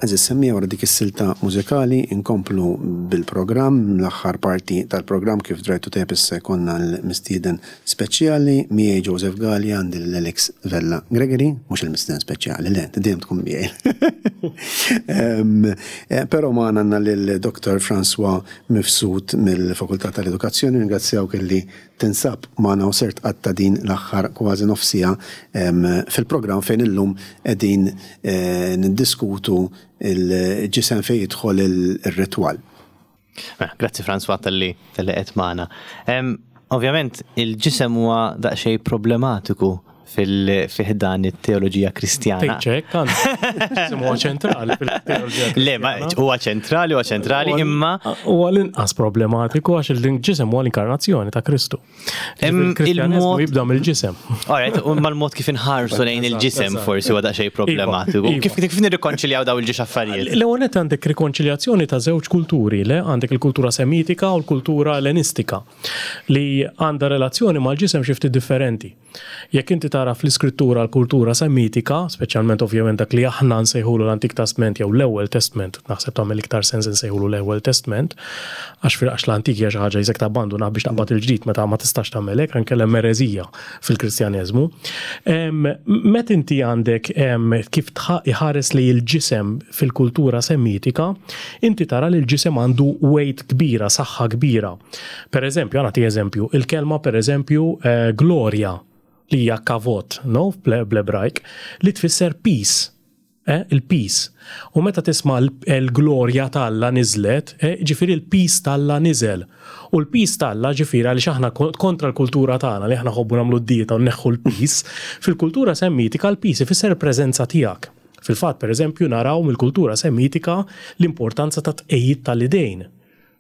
Speaker 1: Għeżież semmiegħa wara dik is-silta mużikali nkomplu bil-programm, l-aħħar parti tal-programm kif drajtu tajjeb issa jkollna l-mistieden speċjali miegħi Joseph Galea għandi lil Alex Vella Gregory, mhux il-mistieden speċjali, le, inti dejjem tkun miegħi. Eh, però magħna għandna lil Dr. François Mifsud mill-Fakultà tal-Edukazzjoni, ringrazzjawk illi tinsab magħna u ser tqatta' din l-aħħar kważi nofs siegħa fil-programm fejn illum qegħdin eh, niddiskutu il-ġisem fejn jidħol ir-ritwal.
Speaker 2: Mela, grazzi François talli talli qed magħna. Ovvjament il-ġisem huwa daqsxejn problematiku fil-ħdan it-teoloġija kristjana.
Speaker 3: Tgħidx hekk, anzi. Huwa ċentrali fil-teoloġija.
Speaker 2: Le, ma huwa ċentrali, huwa ċentrali, imma.
Speaker 3: Huwa l-inqas problematiku għax il-ġisem huwa l-inkarnazzjoni ta' Kristu. Il-Kristjaneżmu jibda mill-ġisem.
Speaker 2: Alright, u mal-mod kif inħarsu lejn il-ġisem forsi huwa daqsxejn iva, problematiku. Iva. Kif kif nirrikonċiljaw daw il-ġiex affarijiet?
Speaker 3: L-ewwel nett għandek rikonċiljazzjoni ta' żewġ kulturi, le għandek il-kultura semitika u l-kultura ellenistika li għandha relazzjoni mal-ġisem xi ftit differenti. Jekk inti tara fl-Iskrittura l-kultura Semitika, speċjalment ovvjament dak li aħna nsejħulu l-Antik Testment jew l-Ewwel Testment, naħseb tagħmel iktar sens insejħulu l-Ewwel Testment, għax fil għax l-Antik hija xi ħaġa jisek tabbandunah biex taqbad il-ġdid meta ma tistax tagħmel hekk, anke hemm ereżija fil-Kristjaneżmu. Meta inti għandek kif iħares lejn il-ġisem fil-kultura Semitika, inti tara li l-ġisem għandu weight kbira, saħħa kbira. Per eżempju, ħa nagħti eżempju, il-kelma per eżempju eh, glorja li hija kavot, no, bl-Ebrajk, li tfisser peace. Eh, il-peace. U meta tisma' l-glorja t'Alla niżlet, eh, ġifieri l-peace t'Alla niżel. U l-peace t'Alla ġifieri għaliex aħna kontra l-kultura tagħna li aħna ħobbu nagħmlu d-dieta u nneħħu l-peace, fil-kultura semmitika l-peace ifisser il-preżenza tiegħek. Fil-fatt, per eżempju, naraw mill-kultura semitika l-importanza ta' tqejjid tal-idejn.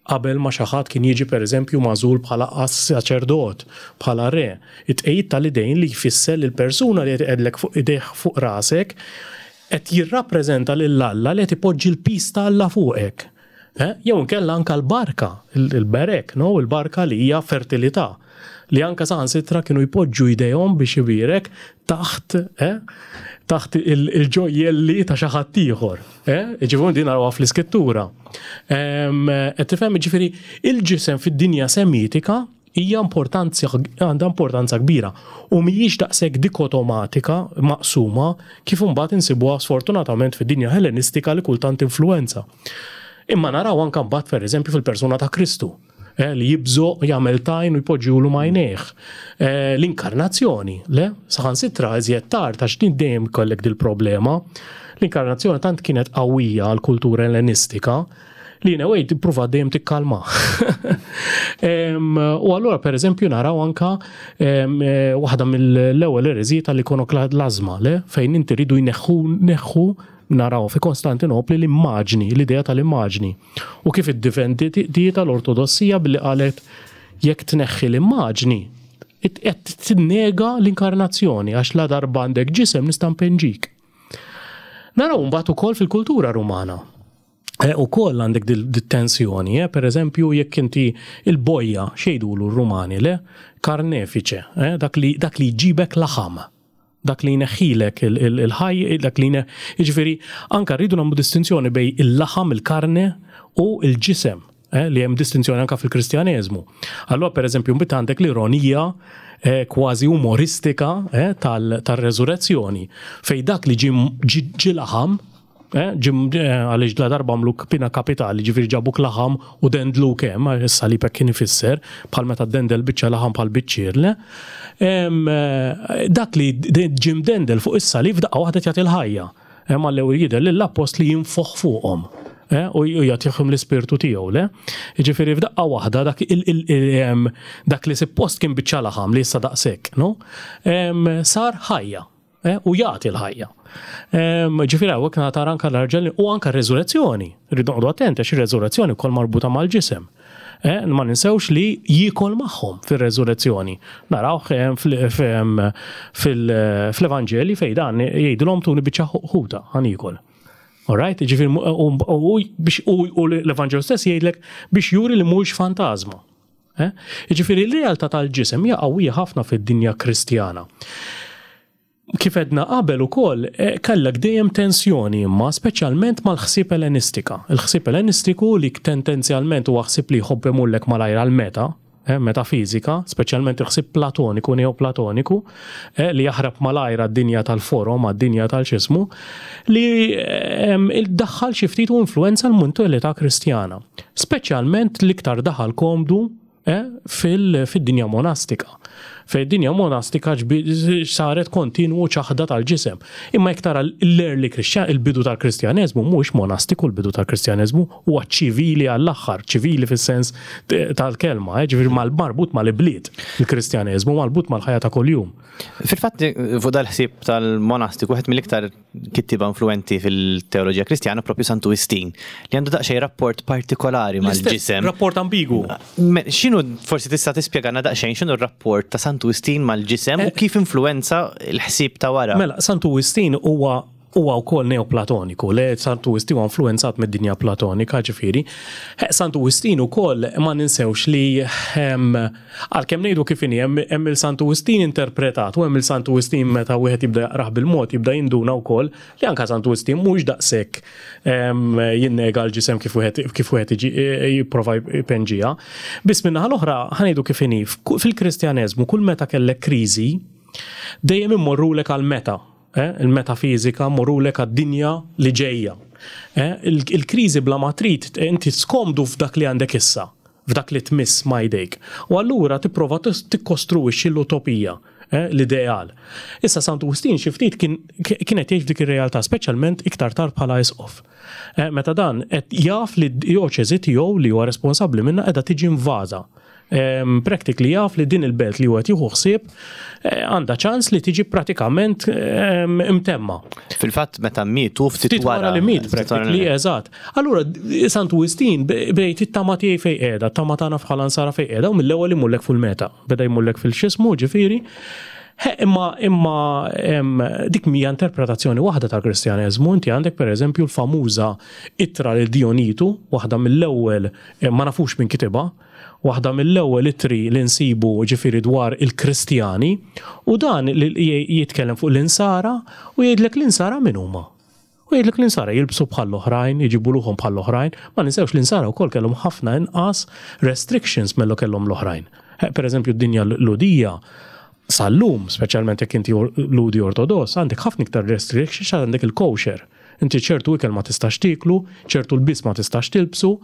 Speaker 3: Qabel ma xi ħadd kien jiġi pereżempju magħżul bħala saċerdot, bħala re, it-tqegħid tal-idejn li jfisser li l-persuna li qed iqegħdlek fuq idejh fuq rasek qed jirrappreżenta lil Alla li qed ipoġġi l-piż ta' Alla fuqek. Eh? Jew inkella anka l-barka, il-berek, no? Il-barka li hija fertilità. Li anka saħansitra kienu jpoġġu jdejhom biex ibierek taħt, eh? Taħt il-ġojjelli ta' xi ħadd ieħor. Eh? Ġifieri din narawha fl-iskrittura. Qed tifhem ġifieri il-ġisem fid-dinja semitika hija importanza għandha importanza kbira u mhijiex daqshekk dikotomatika maqsuma kif imbagħad insibuha sfortunatament fid-dinja Hellenistika li kultant influwenza. Imma naraw anke mbagħad pereżempju fil-persuna ta' Kristu eh, li jibżoq jagħmel tajn u jpoġġilu m'għajnejh. Eh, l-inkarnazzjoni, le, saħansitra iżjed tard għax din dejjem kollek dil-problema. L-inkarnazzjoni tant kienet qawwija għall-kultura Ellenistika li in a way tippruva dejjem tikkalma. U allura per eżempju naraw anka eh, waħda mill-ewwel ereżiji tal-ikonoklażma, le, fejn inti ridu jneħħu neħħu naraw fi Konstantinopli l-immaġni, l-idea tal-immaġni. U kif iddifendiet l-Ortodossija billi qalet jekk tneħħi l-immaġni, qed tinnega l-inkarnazzjoni għax la darba għandek ġisem nista' npenġik. Naraw mbagħad ukoll fil-kultura Rumana. Eh, ukoll għandek dit-tensjoni, eh? per eżempju jekk inti il-bojja xejdulu r-Rumani le karnefiċe, eh? dak li dak li jġibek laħam dak li jneħħilek il-ħaj, dak li jiġifieri anka rridu nagħmlu distinzjoni bej il-laħam, il-karne u l-ġisem, eh, li hemm distinzjoni anka fil-Kristjaneżmu. Allura pereżempju mbagħad għandek l-ironija eh, kważi umoristika eh, tal-reżurezzjoni fej dak li ġi laħam Eh, ġim eh, għaliex la darba għamlu pina kapitali, ġifieri ġabuk laħam u dendlu kemm, għax is-salib hekk kien ifisser, bħal meta dendel biċċa laħam bħal biċċier, le. Eh, dak li ġim dendel fuq is-salib daqqa waħda jagħti l-ħajja. Hemm għall-ewwel jidher lill-appostli jinfoħ fuqhom u jagħtihom l-ispirtu tiegħu, le? Jiġifieri f'daqqa waħda dak dak li suppost kien biċċa laħam li issa daqshekk, no? Sar ħajja. Eh, u jagħti l-ħajja. Ġifieri hawnhekk tara anke l-arġel u anke r-reżurezzjoni. Rridu noqogħdu attenti għax ir-reżurezzjoni wkoll marbuta mal-ġisem. Eh, ma ninsewx li jiekol magħhom fir-reżurezzjoni. Narawh eh, fl-Evanġeli fejn dan jgħidilhom tuni biċċa ħuta ħan jiekol. Alright, ġifieri u l-Evanġelu stess jgħidlek biex juri li mhuwiex fantażma. Eh? Jiġifieri l-realtà tal-ġisem hija qawwija ħafna fid-dinja Kristjana. Kif edna qabel ukoll, eh, kellek dejjem tensjoni imma speċjalment mal-ħsieb Ellenistika. Il-ħsieb Ellenistiku li tendenzjalment huwa ħsieb li jħobb imullek malajr għal-meta, eh, metafizika, speċjalment il-ħsieb platoniku, neoplatoniku, eh, li jaħrab malajr għad-dinja tal-forom, għad-dinja tal-xismu, li eh, daħħal xi ftit u influenza l-mentalità Kristjana. Speċjalment l-iktar daħal komdu eh, fil-dinja monastika. Fej dinja monastika saret kontinwu ċaħda tal-ġisem. Imma jekk tara l-early Christian, il-bidu tal-Kristjaneżmu mhuwiex monastiku l-bidu tal-Kristjaneżmu, huwa ċivili għall-aħħar, ċivili fis-sens tal-kelma, eh, ġifieri marbut mal-ibliet il-Kristjaneżmu, marbut mal-ħajja ta' kuljum.
Speaker 2: Fil-fatt, fuq dal-ħsieb tal-monastiku, wieħed mill-iktar kittieba influenti fil-teoloġija Kristjana propju Santu Wistin, li għandu daqsxejn rapport partikolari mal-ġisem.
Speaker 3: Rapport ambigu.
Speaker 2: X'inhu forsi tista' tispjegana daqsxejn x'inhu r-rapport ta' Santu Wistin mal-ġisem u eh. kif influenza l-ħsieb ta' wara?
Speaker 3: Mela, Santu Wistin huwa huwa wkoll neoplatoniku, le Santu Wistin huwa influenzat mid-dinja platonika, ġifieri. Eh, Santu Wistin ukoll ma ninsewx li ehm, għalkemm ngħidu kif inhi hemm il-Santu Wistin interpretat u hemm il-Santu Wistin meta wieħed jibda jaqrah bil-mod jibda jinduna wkoll li anka Santu Wistin mhux daqshekk ehm, jinnega l-ġisem kif wieħed kif wieħed jipprova jpenġiha. Biss min-naħa l-oħra ħa ngħidu kif inhi fil-Kristjaneżmu kull meta kellek kriżi dejjem immorrulek għal meta Eh, il-metafiżika mmorrulek għad-dinja li ġejja. Eh, il-kriżi bla ma trid inti skomdu f'dak li għandek issa, f'dak li tmiss ma jdejk. U allura tipprova tikkostruwixxi l-utopija, eh, l-ideal. Issa Santu Wistin xi ftit kien qed jgħix f'dik ir-realtà, speċjalment iktar tard bħala isqof. Meta dan qed jaf li d-djoċesi tiegħu li huwa responsabbli minnha qiegħda tiġi invaża. Practically jaf li din il-belt li huwa qed jieħu ħsieb eh, għandha ċans li tiġi pratikament imtemma.
Speaker 2: Fil-fatt meta mietu ftit
Speaker 3: wara li miet practically, eżatt. Allura Santu Wistin bejt it-tama tiegħi fejn qiegħda, tama tagħna bħala nsara fejn qiegħda u mill-ewwel imullek full-meta. Beda jmullek fil-xismu ġifieri. Imma imma dik mija interpretazzjoni waħda tal-Kristjaneżmu, inti għandek pereżempju l-famuża ittra lil Dionitu, waħda mill-ewwel eh, ma nafux min kitibha, waħda mill-ewwel ittri li nsibu ġifieri dwar il-Kristjani, u dan jitkellem fuq l-insara u jgħidlek l-insara min huma. U jgħidlek l-insara jilbsu bħall-oħrajn, jġibu ruħhom bħall-oħrajn, ma ninsewx l-insara wkoll kellhom ħafna inqas restrictions milli kellhom l-oħrajn. Eh, per eżempju, d-dinja Lhudija sal-lum, speċjalment jekk inti Lhudi Ortodoss, għandek ħafna iktar restrictions għandek il-kosher. Inti ċertu ikel ma tistax tieklu, ċertu lbies ma tistax tilbsu,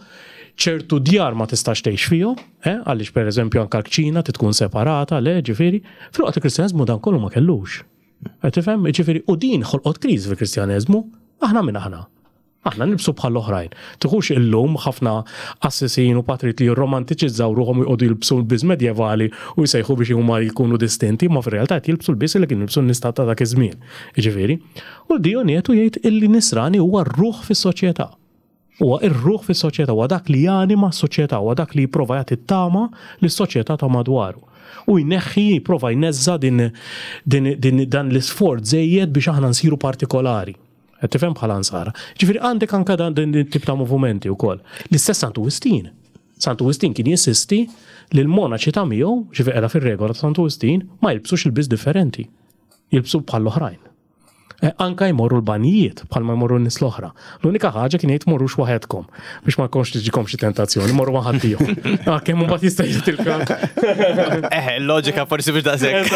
Speaker 3: ċertu djar ma tistax tgħix fihom, eh, għaliex pereżempju anke l-kċina tkun separata, le, ġifieri. Filwaqt il-Kristjaneżmu dan kollu ma kellux. Qed tifhem? Ġifieri, u din ħolqot kriżi fil-Kristjaneżmu, aħna min aħna. Aħna nilbsu bħal oħrajn. Tiħux illum ħafna qassisin u patrijiet li jirromantiċizzaw ruħhom u jqogħdu jilbsu lbies medjevali u jsejħu biex huma jkunu distinti, ma fir-realtà qed jilbsu lbies li kienu jilbsu n-nies ta' dak iż-żmien. Jiġifieri, u Dionietu jgħid illi nisrani huwa r-ruħ fis-soċjetà. Huwa r-ruħ fis-soċjetà, huwa dak li janima s-soċjetà, huwa dak li jipprova jagħti t-tama lis-soċjetà ta' madwaru. U jneħħi, jipprova jneżża' din, din, din, dan l-isforz żejjed biex aħna nsiru partikolari. Qed tifhem bħala nsara. Ġifieri għandek anke dan din tip ta' movimenti wkoll. L-istess Santu Wistin. Santu Wistin kien jinsisti li l-monaċi ta' miegħu, ġifieri qiegħda fir-regola ta' Santu Wistin, ma jilbsux ilbies differenti. Jilbsu bħall-oħrajn. Eh, anka jmorru l-banjijiet bħalma jmorru n-nies l-oħra. L-unika ħaġa kien jgħid morrux waħedkom biex ma jkunx tiġikom xi tentazzjoni, morru ma' ħaddieħor. Ah, kemm mbagħad jista' jitilka.
Speaker 2: Eh, loġika forsi biex daqshekk.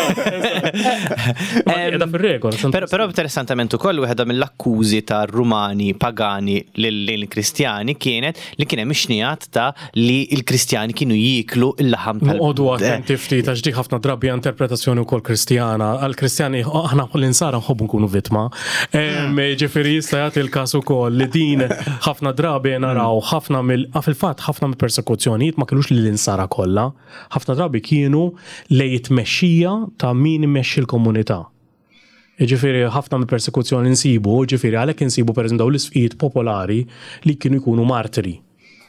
Speaker 3: Qiegħda fir-regola.
Speaker 2: Però interessantement ukoll waħda mill-akkużi ta' Rumani pagani lill-Kristjani kienet li kien hemm ixnijat ta' li l-Kristjani kienu jieklu l-laħam
Speaker 3: tal. Noqogħdu attenti ftit għax dik ħafna drabi interpretazzjoni wkoll Kristjana. Għall-Kristjani aħna l-insara nħobbu nkunu vittma. Ġifieri jista' jagħti l-każ ukoll li din ħafna drabi naraw ħafna mill fil-fatt ħafna mill-persekuzzjonijiet ma kinux lill-insara kollha. Ħafna drabi kienu lejn it-tmexxija ta' min imexxi l-komunità. Jiġifieri ħafna mill-persekuzzjoni nsibu, jiġifieri għalhekk insibu pereżempju dawn l-isqfijiet popolari li kienu jkunu martri.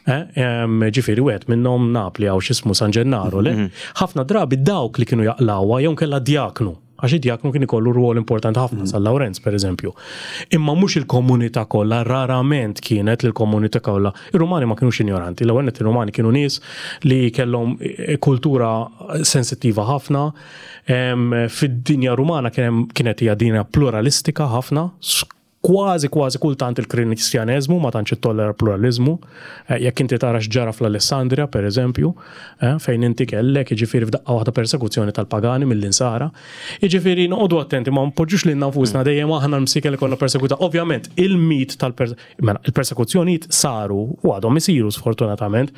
Speaker 3: Eh, ġifieri wieħed minnhom Napli hawn x'ismu San Ġennaro, le? Mhm. Ħafna drabi dawk li kienu jaqlawha jew kellha djaknu, għax id-djaknu kien ikollu rwol importanti ħafna mhm. San Lawrenz pereżempju. Imma mhux il-komunità kollha, rarament kienet l-komunità kollha. Ir-Rumani ma kinux injoranti, l-ewwel nett ir-Rumani kienu nies li kellhom eh, kultura sensittiva ħafna, Fid-dinja Rumana kienet hija dinja pluralistika ħafna, kważi kważi kultant il-Kristjaneżmu ma tantx ittollera pluraliżmu. Eh, jekk inti tara x'ġara fl-Alessandria, per eżempju, eh, fejn inti kellek jiġifieri f'daqqa waħda persekuzzjoni tal-pagani mill-insara. Jiġifieri noqogħdu attenti ma npoġġux lilna nfusna mm. dejjem aħna l-msiken li konna persekuta. Ovvjament, il-mit tal-persekuzzjonijiet mela, saru u għadhom isiru sfortunatament.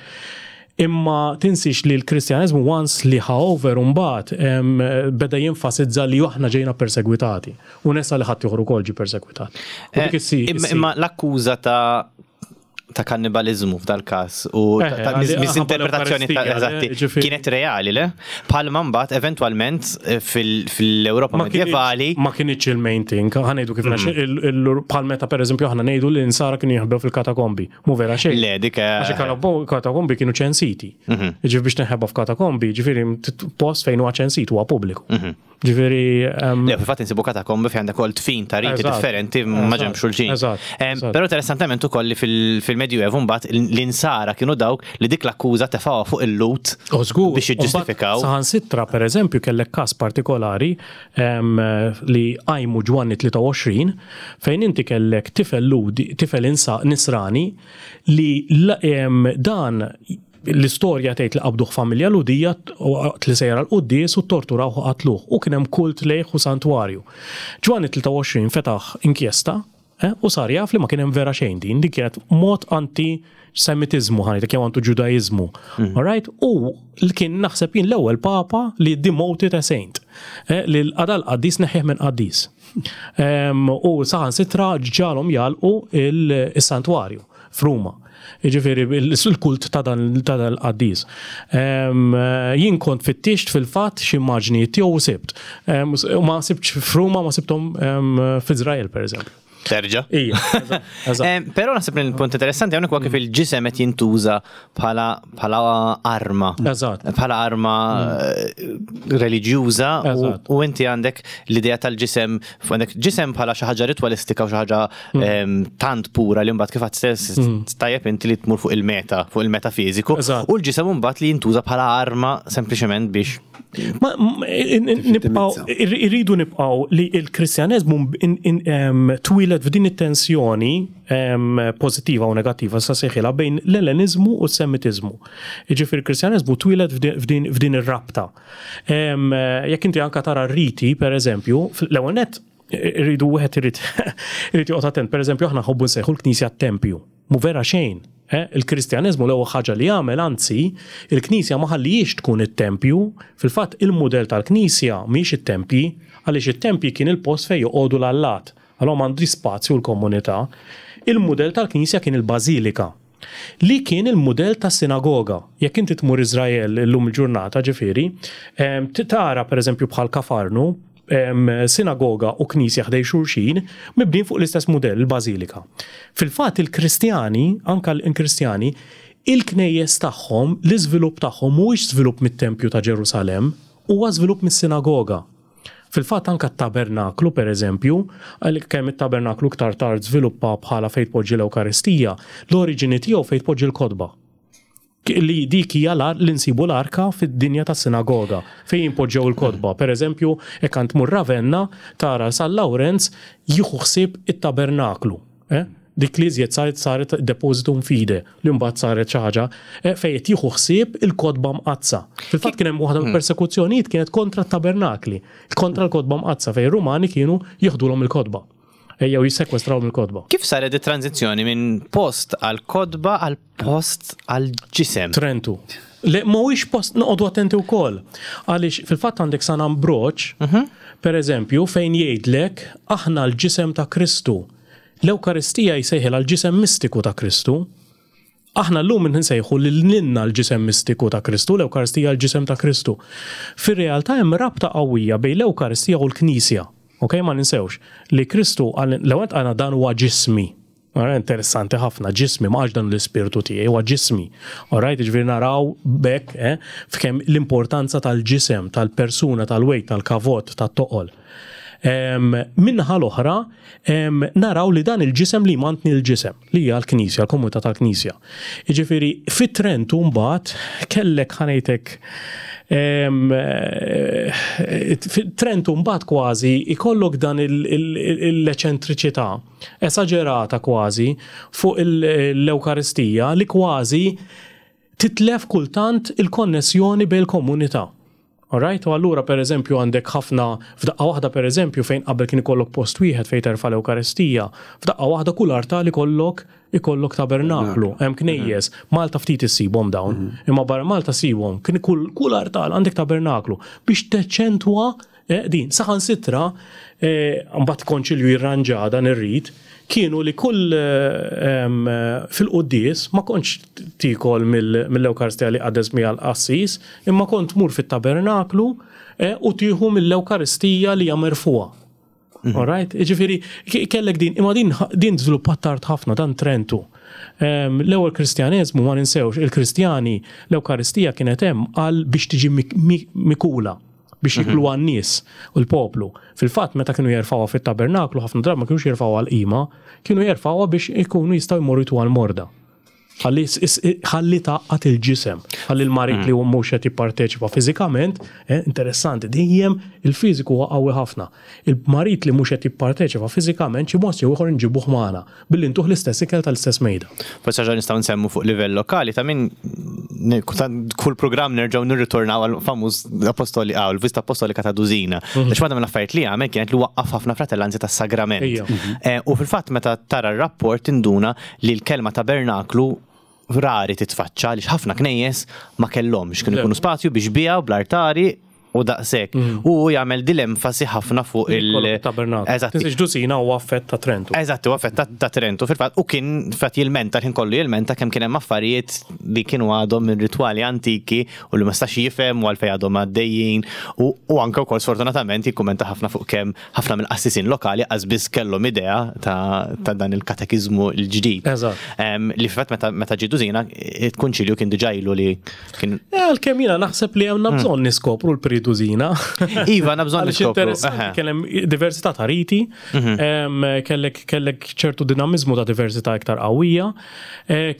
Speaker 3: Imma tinsiex li l-Kristjaneżmu once li ħa over imbagħad beda jenfasizza li aħna ġejna persegwitati. U nesa li ħaddieħor ukoll ġie persegwitat. U dik issi.
Speaker 2: Imma l-akkuża ta' ta' kannibalizmu f'dal każ u eh, ta' misinterpretazzjoni ta' eżatti kienet reali le? Bħalma mbagħad eventwalment eh, fil-Ewropa medjevali.
Speaker 3: Ma kienx il-main thing, ħanejdu kif mm. bħal meta pereżempju aħna ngħidu li nsara kienu jinħbew fil-katakombi. Mu vera xejn.
Speaker 2: Le, dik. Eh,
Speaker 3: Għax katakombi kienu ċensiti. Mhm. Ġifieri biex tinħeba f'katakombi, ġifieri post fejn huwa ċensit huwa pubbliku. Mhm. Ġifieri.
Speaker 2: Le, fil-fatt insibu katakombi fejn għandek ukoll tfin ta' riti differenti ma' ġenb xulxin. Però interessantement ukoll li fil-Medjuevu mbagħad l-insara kienu dawk li dik l-akkuża tefgħuha fuq il-Lut biex jiġġustifikaw.
Speaker 3: Saħansitra pereżempju kellek każ partikolari li qajmu Ġwanni 23 fejn inti kellek tifel Lhudi, tifel Nisrani li dan l-istorja tgħid li qabduh familja Lhudija waqt li sejjer għall-quddies u ttorturawh u qatluh u kien hemm kult lejh u santwarju. Ġwanni 23 fetaħ inkjesta Eh, u sar jaf li ma kien hemm vera xejn din, din kienet mod anti semitiżmu ħanejtek jew anti ġudaiżmu. Mm. All right? U li kien naħseb jien l-ewwel papa li demoted a saint. Eh, li l-qadal qaddis neħħih minn qaddis. U saħan sitra ġalhom jalqu il-santwarju f'Ruma. Jiġifieri il-kult ta' dan il-qaddis. Jien kont fittixt fil-fatt xi immaġnijiet tiegħu u sibt. U ma sibtx f'Ruma ma sibthom f'Iżrael pereżempju.
Speaker 2: Terġa.
Speaker 3: Ija.
Speaker 2: Però naħseb li l-punt interessanti hawnhekk huwa kif il-ġisem qed jintuża bħala bħala arma.
Speaker 3: Eżatt.
Speaker 2: Bħala arma eh, reliġjuża u inti għandek l-idea tal-ġisem, għandek ġisem bħala xi ħaġa ritwalistika u xi ħaġa tant pura li mbagħad kif għad stess tajjeb inti li tmur fuq il-meta, fuq il-meta fiżiku. U l-ġisem mbagħad li jintuża bħala arma sempliċement biex
Speaker 3: Ma nibqgħu irridu nibqgħu li l-Kristjaneżmu twieled f'din it-tensjoni pożittiva u negattiva sa sejħilha bejn l-Elleniżmu u s-Semitiżmu. Jiġifieri l-Kristjaneżmu twieled f'din ir-rabta. Jekk inti anka tara r-riti, per eżempju, l-ewwel nett irridu wieħed irid irid joqgħod attent. Per eżempju, aħna nħobbu nsejħu l-Knisja t-tempju. Mhu vera xejn. Eh? Il-Kristjaneżmu l-ewwel ħaġa li għamel, anzi, il-Knisja ma ħallijiex tkun it-tempju. Fil-fatt, il-mudell tal-Knisja mhijiex it-tempji, għaliex it-tempji kien il-post fejn joqogħdu l-allat. Allura m'għandhiex spazju l-komunità. Il-mudell tal-Knisja kien il-bażilika. Li kien il-mudell tas-sinagoga. Jekk inti tmur Iżrael illum il-ġurnata, ġifieri, tara pereżempju bħal Kafarnu, sinagoga u knisja ħdejn xulxin, mibnijin fuq l-istess mudell, il-bażilika. Fil-fatt il-Kristjani, anke l-Kristjani, il-knejjes tagħhom, l-iżvilupp tagħhom mhuwiex żvilupp mit-tempju ta' Ġerusalemm, huwa żvilupp mis-sinagoga. Fil-fatt anke t-tabernaklu, per eżempju, għalkemm it-tabernaklu iktar tard żviluppa bħala fejn tpoġġi l-Ewkaristija, l-oriġini tiegħu fejn tpoġġi l-kotba. Li dik hija li nsibu l-arka fid-dinja tas-sinagoga, fejn jinpoġġew il-kotba. Per eżempju, jekk għand tmur Ravenna, tara San Lawrenz jieħu ħsieb it-tabernaklu. Eh? Dik li iżjed saret saret depositum fide, li mbagħad saret xi ħaġa eh, fejn qed jieħu ħsieb il-kotba mqaddsa. Fil-fatt kien hemm waħda mill-persekuzzjonijiet kienet kontra t-tabernakli, kontra l-kotba mqaddsa fejn ir-Rumani kienu jieħdulhom il-kotba. Ejjew jissekwestrawhom il-kotba.
Speaker 2: Kif saret it-tranżizzjoni minn post għal kotba għal post għal ġisem?
Speaker 3: Trentu. Le, mhuwiex post noqogħdu attenti wkoll. Għaliex fil-fatt għandek San Ambroġ, per eżempju, fejn jgħidlek aħna l-ġisem ta' Kristu. L-Ewkaristija jsejħilha l-ġisem mistiku ta' Kristu. Aħna llum insejħu lil lilna l-ġisem mistiku ta' Kristu, l-Ewkaristija l-ġisem ta' Kristu. Fir-realtà hemm rabta qawwija bejn l-Ewkaristija u l-Knisja. Ok, ma ninsewx li Kristu qal l-ewwel qalna dan huwa ġismi. Ara interessanti ħafna, ġismi, ma qalx dan l-ispirtu tiegħi, huwa ġismi. Alright, jiġifieri naraw b'hekk eh, f'kemm l-importanza tal-ġisem, tal-persuna, tal-weight, tal-kavot, tat-toqol. Min-naħa l-oħra, naraw li dan il-ġisem li jmantni l-ġisem, li hija l-Knisja, l-komunità tal-Knisja. Jiġifieri, fi Trentu mbagħad kellek ħa ngħidlek fi Trentu mbagħad kważi ikollok dan l-eċentriċità esaġerata kważi fuq l-Ewkaristija li kważi titlef kultant il-konnessjoni bejn il-komunità. Alright? U allura per eżempju għandek ħafna, f'daqqa waħda per eżempju fejn qabel kien ikollok post wieħed fejn terfa' l-Ewkaristija, f'daqqa waħda kull artal ikollok ikollok tabernaklu, hemm knejjes, Malta ftit issibhom dawn, imma barra Malta ssibhom, kien kull kull artal għandek tabernaklu biex teċċentwa din. Saħansitra mbagħad konċilju jirranġa dan ir-rit, kienu li kull fil-quddies ma kontx tiekol mill-Ewkaristija li qaddes biha l-qassis, imma kont tmur fit-tabernaklu u tieħu mill-Ewkaristija li hija merfugħa. All right? Jiġifieri kellek din, imma din din żviluppat tard ħafna dan Trentu. L-ewwel Kristjaneżmu ma ninsewx, il-Kristjani l-Ewkaristija kienet hemm għal biex tiġi mikula. biex jikluha n-nies u l-poplu. Fil-fatt, meta kienu jerfgħuha fit-tabernaklu, ħafna drabi ma kinux jerfgħuha għall-qima, kienu jerfgħuha biex ikunu jistgħu jmorru jtuha l-morda. Ħalli ħalli tgħaqqad il-ġisem, ħalli l-marid li mhux qed jipparteċipa fiżikament, eh, interessanti, dejjem il-fiżiku huwa qawwi ħafna. Il-marid li mhux qed jipparteċipa fiżikament xi mod jew ieħor inġibuh magħna. Billi ntuh l-istess ikel tal-istess mejda.
Speaker 2: Forsi ħaġa nistgħu nsemmu fuq livell lokali ta' min kull programm nerġgħu nirritornaw għal famuż apostoli għaw il-vista apostolika ta' Dużina. Mhm. Għax waħda mill-affarijiet li għamel kienet li waqqaf ħafna fratellanzi tas-sagrament. Mhm. Eh, u fil-fatt meta tara r-rapport tinduna li l-kelma tabernaklu rari titfaċċa għaliex ħafna knejjes ma kellhomx kienu jkunu spazju biex biha u bl-artari. u daqshekk. U hu jagħmel din l-enfasi ħafna fuq il-
Speaker 3: Tabernaklu.
Speaker 2: Eżatt.
Speaker 3: Tinsiex Dusina huwa affett ta' Trentu.
Speaker 2: Eżatt, huwa affett ta' Trentu fil-fatt u kien fatt jilmenta kien kollu jilmenta kemm kien hemm affarijiet li kienu għadhom minn ritwali antiki u li ma stax jifhem u għalfejn għadhom għaddejjin u, u anke wkoll sfortunatament jikkumenta ħafna fuq kemm ħafna mill-qassisin lokali qas biss kellhom idea ta', ta dan il-katekiżmu l-ġdid.
Speaker 3: Eżatt.
Speaker 2: Li fil-fatt meta, meta ġie Dusina il-konċilju kien diġà ilu li kien
Speaker 3: Għalkemm jiena naħseb li għandna bżonn niskopru l-pre-Dusina.
Speaker 2: Iva, għandna bżonn
Speaker 3: Għaliex
Speaker 2: niskopru,
Speaker 3: interessanti,
Speaker 2: eħe.
Speaker 3: Kien hemm diversità ta' riti, kellek kellek ċertu dinamizmu ta' diversità iktar qawwija,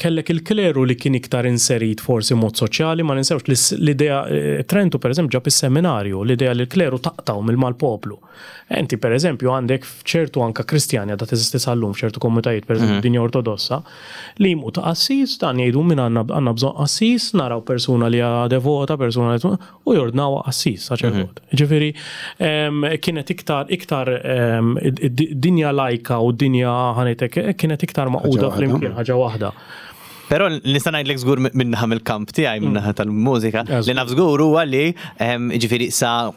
Speaker 3: kellek il-kleru li kien iktar inserit forsi mod soċjali, ma ninsewx li l-idea Trentu pereżempju ġab is-seminarju, l-idea li l-kleru taqtaw mill-mal-poplu. Inti pereżempju għandek f'ċertu anka Kristjani għadha teżisti sal-lum f'ċertu komunitajiet, pereżempju dinja Ortodossa, li jmut qassis, dan jgħidu min għandna bżonn qassis, naraw persuna li hija devota, persuna li u jordnawha qassis, saċerdot. Ġifieri, kienet iktar, iktar dinja lajka u dinja ħanitek, kienet iktar maquda
Speaker 1: waħda.
Speaker 3: flimkien, ħaġa waħda.
Speaker 2: Però nista' ngħidlek żgur minnaħa mill-kamp tiegħi, minnaħa tal-mużika, li naf żgur huwa li ġifieri sa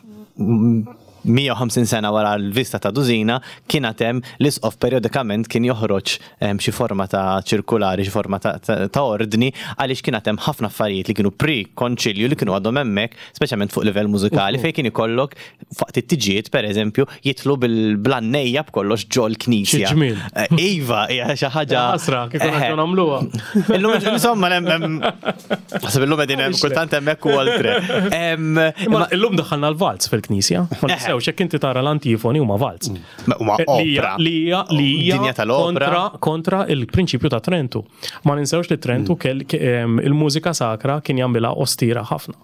Speaker 2: 150 sena wara l-vista ta' Dusina kien hemm l-isqof periodikament kien joħroġ xi forma ta' ċirkulari, xi forma ta' ordni, għaliex kien hemm ħafna affarijiet li kienu pre-konċilju li kienu għadhom hemmhekk, speċjalment fuq livell mużikali, fejn kien ikollok waqt it-tiġijiet pereżempju jitlu bil-blannejja b'kollox ġol knisja.
Speaker 3: Xi ġmiel.
Speaker 2: Iva, hija xi ħaġa.
Speaker 3: Ħasra, kif konna ġew nagħmluha.
Speaker 2: Illum, insomma, hemm, naħseb illum qegħdin hemm kultant hemmhekk u oltre.
Speaker 3: Imma illum daħħalna l-valz fil-knisja. Ma ninsewx jekk inti tara l-antifoni huma valz.
Speaker 2: Ma huma opera.
Speaker 3: Li hija li hija
Speaker 2: Dinja tal-opera.
Speaker 3: kontra il-prinċipju ta' Trentu. Ma ninsewx li Trentu kell il-mużika sakra kien jagħmilha ostira ħafna.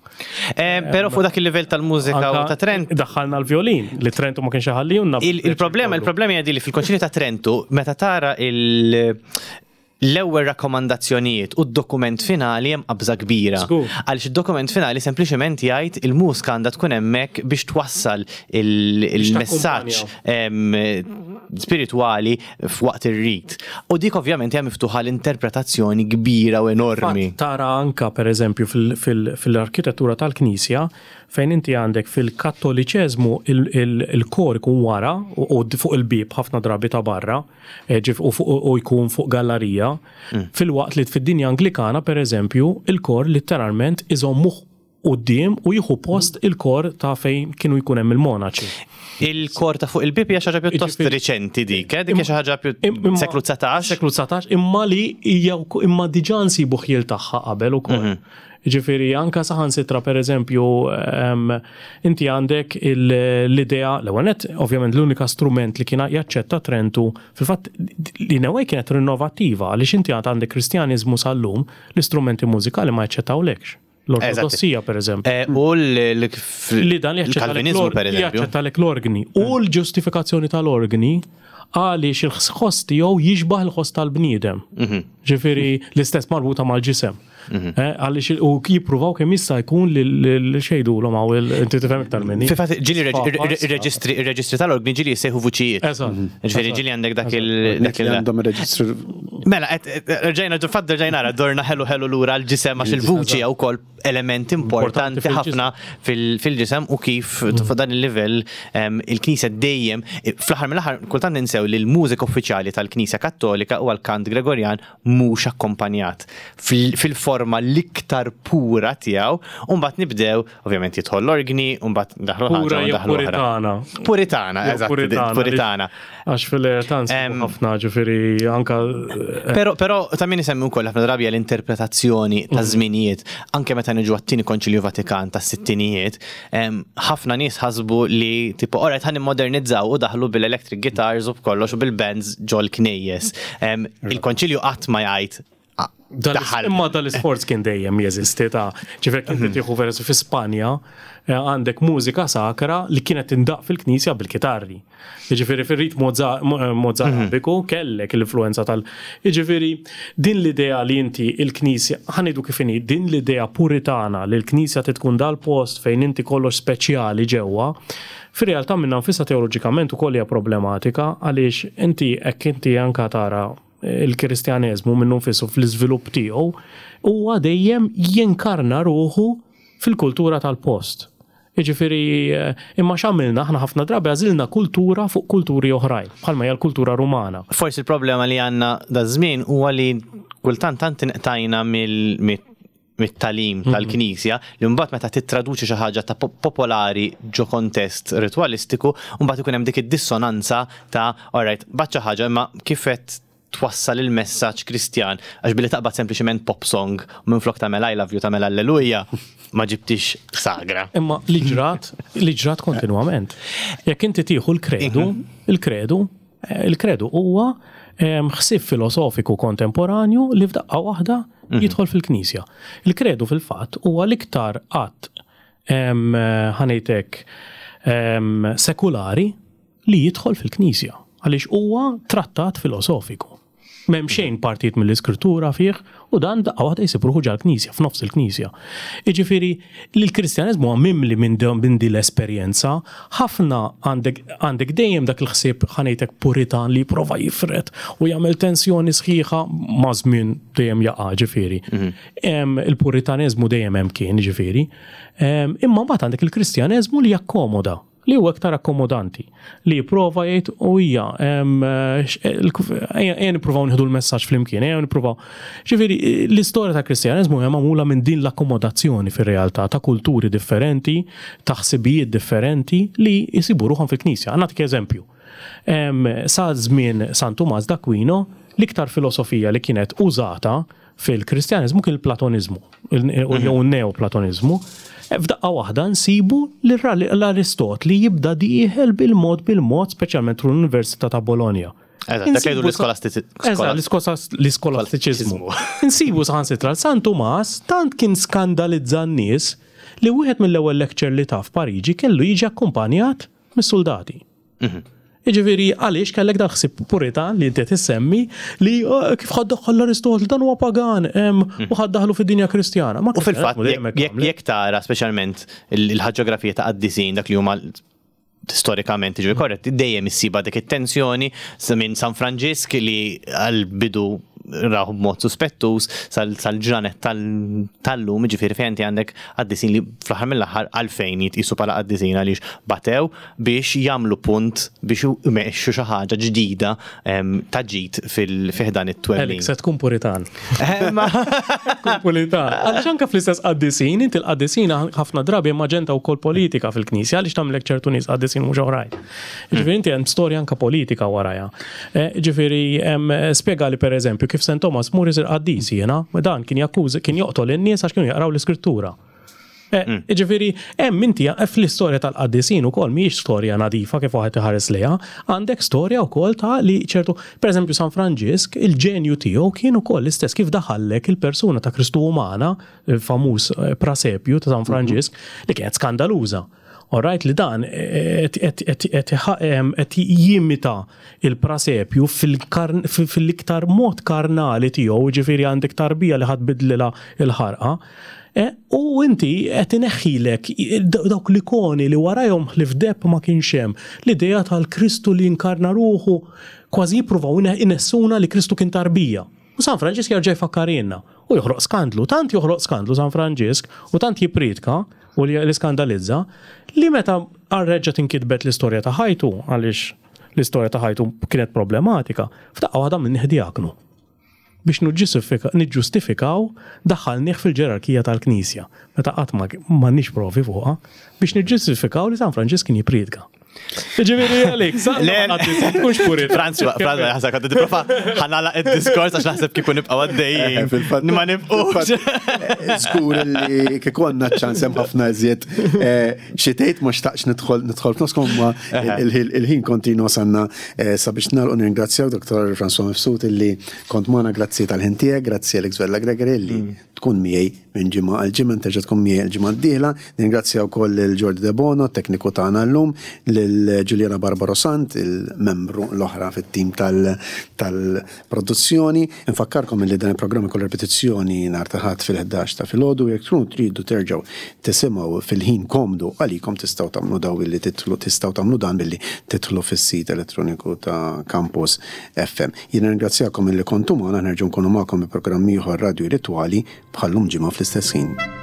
Speaker 2: Però fuq dak il-livell tal-mużika u
Speaker 3: Anka
Speaker 2: ta' Trentu.
Speaker 3: Daħħalna l-violin li Trentu ma kienx iħallihulna.
Speaker 2: Il-problema hija di li fil-Konċilju ta' Trentu meta tara l-ewwel rakkomandazzjonijiet u d-dokument finali hemm qabża kbira.
Speaker 3: Żgur.
Speaker 2: Għaliex id-dokument finali sempliċement jgħid il-mużika għandha tkun hemmhekk biex twassal il-messaġġ spiritwali f'waqt ir-rit. U dik ovvjament hija miftuħa l-interpretazzjoni kbira u enormi.
Speaker 3: Fatt, tara anka per eżempju fil-arkitettura tal-Knisja fejn inti għandek fil-Kattoliċeżmu il-kor ikun wara u fuq il-bib ħafna drabi ta' barra, ġif, u fuq, u jkun fuq gallerija, filwaqt li fid-dinja Anglikana per eżempju il-kor letteralment iżommuh quddiem u jieħu post il-kor ta' fejn kienu jkun hemm il-monaċi.
Speaker 2: Il-kor ta' fuq il-bib hija xi ħaġa pjuttost
Speaker 3: Jiġifieri-
Speaker 2: riċenti dik, dik hija xi ħaġa seklu 19.
Speaker 3: Seklu 19, imma li hija imma diġà nsibu ħjiel tagħha qabel ukoll. Ġifieri anka saħansitra per eżempju, inti għandek l-idea, l-ewwel nett, ovvjament l-unika strument li kien jaċċetta Trentu, fil-fatt li newwej kienet rinnovattiva, għaliex inti għandek Kristjaniżmu sal-lum, l-istrumenti mużikali ma jaċċettawlekx. L-Ortodossija, per eżempju.
Speaker 2: U
Speaker 3: Li dan
Speaker 2: il-Kalvinizmu, per eżempju.
Speaker 3: jaċċettalek l-organi. U l-ġustifikazzjoni tal-organi għaliex il-ħoss tiegħu jixbaħ il-ħoss tal-bniedem. Ġifieri l-istess marbuta mal-ġisem. Għaliex u jippruvaw kemm jista' jkun li xejdulhom hawn inti tifhem iktar minni.
Speaker 2: Fil-fatt, ġieli
Speaker 3: Sfa, sfa.
Speaker 2: ir-reġistri tal-organi ġieli jissejħu vuċijiet. Ġifieri ġieli għandek dak dak
Speaker 1: Dak li
Speaker 2: il-
Speaker 1: għandhom ir-reġistru
Speaker 2: Mela, rġajna, fatt rġajna nara, dorna ħelu ħelu lura l-ġisem għax il-vuċi hija wkoll element importanti
Speaker 3: Importanti fil-ġisem.
Speaker 2: ħafna fil-ġisem u kif fuq dan il-livell il-Knisja dejjem, fl-aħħar mill-aħħar kultant ninsew li l-mużika uffiċjali tal-Knisja Kattolika huwa l-kant Gregorjan mhux akkompanjat fil-forma l-iktar pura tiegħu, u mbagħad nibdew, ovvjament jidħol l-organi, u mbagħad daħlu ħaġa
Speaker 3: Pura
Speaker 2: u
Speaker 3: jew
Speaker 2: daħlu oħra.
Speaker 3: puritana.
Speaker 2: Puritana,
Speaker 3: Jew
Speaker 2: eżatt,
Speaker 3: puritana,
Speaker 2: puritana.
Speaker 3: Għax fil-realtà nsibu ħafna, ġifieri anka,
Speaker 2: Però ta' min isemmi wkoll ħafna drabi l-interpretazzjoni ta' żminijiet, anke meta niġu għat-tieni Konċilju Vatikan tas-sittinijiet, ħafna nies ħasbu li tipo alright ħa nimmodernizzaw u daħlu bil-electric guitars u b'kollox u bil-bands ġol knejjes. Il-Konċilju qatt ma jgħid daħal.
Speaker 3: Imma dal-isforz kien dejjem jeżisti ta' ġifieri kien tieħu versu fi Spanja, għandek mużika sakra li kienet tindaq fil-knisja bil-kitarri. Jiġifieri fir-rit Mozarabiku kellek l-influenza tal. Jiġifieri din l-idea li inti il-knisja, ħa ngħidu kif inhi, din l-idea puritana li l-knisja tkun dal-post fejn inti kollox speċjali ġewwa, fir-realtà minnha nfisha teoloġikament ukoll hija problematika għaliex inti hekk inti anka tara il-Kristjaneżmu minnu nfisu fl-iżvilupp tiegħu huwa dejjem jinkarna ruħu fil-kultura tal-post. Jiġifieri imma x'għamilna aħna ħafna drabi għażilna kultura fuq kulturi oħrajn, bħalma hija l-kultura Rumana.
Speaker 2: Forsi l-problema li għandna daż-żmien huwa li kultant tant inqtajna mit-tagħlim tal-Knisja li mbagħad meta tittraduċi xi ħaġa ta' popolari ġo kontest ritwalistiku, mbagħad ikun hemm dik id-dissonanza ta' alright, bgħatt xi ħaġa imma kif qed twassal il-messaġġ Kristjan għax billi taqbad sempliċement pop song u minflok tagħmel I love you tagħmel Alleluja ma ġibtix sagra.
Speaker 3: Imma li ġrat, li ġrat kontinwament. Jekk inti tieħu l-kredu, il-kredu, eh, il-kredu huwa ehm, ħsieb filosofiku kontemporanju li f'daqqa waħda mhm. jidħol fil-Knisja. Il-kredu fil-fatt huwa l-iktar att ehm, ħanejtek ehm, sekulari li jidħol fil-Knisja, għaliex huwa trattat filosofiku. M'hemm xejn partijiet mill-Iskrittura fih u dan daqqa waħda jsib ruħu ġal-Knisja, f'nofs il-Knisja. Jiġifieri li l-Kristjaneżmu huwa mimli minn minn din l-esperjenza, ħafna għandek għandek dejjem dak il-ħsieb ħa ngħidlek puritan li jipprova jifred u jagħmel tensjoni sħiħa maż-żmien dejjem jaqa' ġifieri. Il-puritaneżmu dejjem hemm kien ġifieri. Imma mbagħad għandek il-Kristjaneżmu li jakkomoda. Li huwa iktar akkomodanti, li jipprova jgħid u hija ejja nippruvaw nieħdu l-messaġġ flimkien, ejja nippruvaw. Ġifieri l-istorja tal-Kristjaneżmu hija magħmula minn din l-akkomodazzjoni fir-realtà ta' kulturi differenti, ta' ħsibijiet differenti li jsibu ruħhom fil-Knisja. Nagħtik eżempju. Sa żmien San Tumas d'Aquino, l-iktar filosofija li kienet użata Fil-Kristjaneżmu kien il-Platoniżmu, jew n-Neoplatoniżmu. F'daqqa waħda nsibu l-Aristotli jibda dieħel bil-mod bil-mod, speċjalment tul l-Università ta' Bologna.
Speaker 2: Eżatt, dak jgħidu l-iskolastiċiżmu.
Speaker 3: L-iskolastiċiżmu. Insibu saħansitra San Tumas tant kien skandalizza n-nies li wieħed mill-ewwel lecture li ta f'Pariġi kellu jiġi akkumpanjat mis-suldati. Mhm. Jiġifieri għaliex kellek dal-ħsieb puritan li inti qed issemmi li oh, kif ħad daħħal l-Aristotli dan huwa pagan mhm. u ħad daħlu fid-dinja Kristjana.
Speaker 2: U fil-fatt jekk tara speċjalment il-ħaġografija ta' qaddisin dak li huma storikament ġi korretti, dejjem issiba dik it-tensjoni minn San Franġisk li għal-bidu raħu b'mod suspettus sal-ġranet tal-lum, ġifieri fejn inti għandek qaddisin li fl-aħħar mill-aħħar għalfejn jitqisu bħala qaddisin għaliex batew biex jagħmlu punt biex imexxu xi ħaġa ġdida ta' ġid fi ħdan it-twemmin.
Speaker 3: Alex, se tkun puritan. Tkun puritan. Għaliex anke fl-istess qaddisin, inti l-qaddisin ħafna drabi hemm aġenda wkoll politika fil-Knisja għaliex tagħmlek ċertu nies qaddisin mhux oħrajn. Ġifieri inti hemm storja anke politika warajha. Eh, ġifieri spjegali pereżempju kif St. Thomas mur isir qaddis jiena, dan kien jakkuża kien joqtol in-nies għax kienu jaqraw l-iskrittura. Eh, mm. Ġifieri, hemm inti eh, fl-istorja tal-qaddisin ukoll mhijiex storja nadifa kif waħed iħares lejha, għandek storja wkoll ta' li ċertu, pereżempju San Franġisk, il-ġenju tiegħu kien ukoll l-istess kif daħallek il-persuna ta' Kristu umana, il-famuż eh, prasepju ta' San mhm. Franġisk, li kienet skandaluża. Alright, li dan qed jimita il-prasepju fil-iktar mod karnali tiegħu, ġifieri għandek tarbija li ħadd bidlilha il-ħarqa, e, u inti qed ineħħilek dawk l-ikoni li warajhom ħlief deb ma kienx hemm. L-idea tal-Kristu li inkarna ruħu kważi jippruvaw inessuna li Kristu kien tarbija. U San Franġisk jerġa' jfakkarilna u joħloq skandlu. Tant joħloq skandlu San Franġisk u tant jippriedka u li skandalizza li meta reġgħet inkitbet l-istorja ta' ħajtu, għaliex l-istorja ta' ħajtu kienet problematika, f'daqqa waħda għamilnih djaknu. Biex niġġustifikaw daħħalnih fil-ġerarkija tal-Knisja, meta qatt ma m'għandniex provi fuqha, biex niġġustifikaw li San Franġisk kien jippriedka. Ġifieri għalik,
Speaker 2: Le, tkunx purit. Franz, Franz, ħasab għaddi tipprova ħanala id-diskors għax naħseb kieku nibqa' għaddejjin. Eh, ma nibqux.
Speaker 1: Eh, żgur li kieku għandna ċans hemm ħafna iżjed eh, xi tgħid ma xtaqx nidħol nidħol f'noskom ma il-ħin kontinu sanna sabiex nagħlqu nirringrazzjaw Dr. François Mifsud illi kont magħna grazzi tal-ħin tiegħek, grazzi Alex Vella Gregory illi mm. tkun miegħi minn ġimgħa għal ġimgħa, terġa' tkun miegħi l-ġimgħa d-dieħla. Ningrazzja wkoll lil Jordi Debono, tekniku tagħna llum, lil Juliana Barbaro Sant, il-membru l-oħra fit-tim tal-produzzjoni. Infakkarkom li dan il-programm ikollu ripetizzjoni nhar ta' Ħadd fil-11 ta' filgħodu. Jekk tkunu tridu terġgħu tisimgħu fil-ħin komdu għalikom tistgħu tagħmlu daw billi tidħlu tistgħu tagħmlu dan billi tidħlu fis-sit elettroniku ta' Campus FM. Jien nirringrazzjakom illi kontu magħna, nerġgħu nkunu magħkom bi programm ieħor Radju Ritwali bħal-lum ġimgħa fl-istess ħin.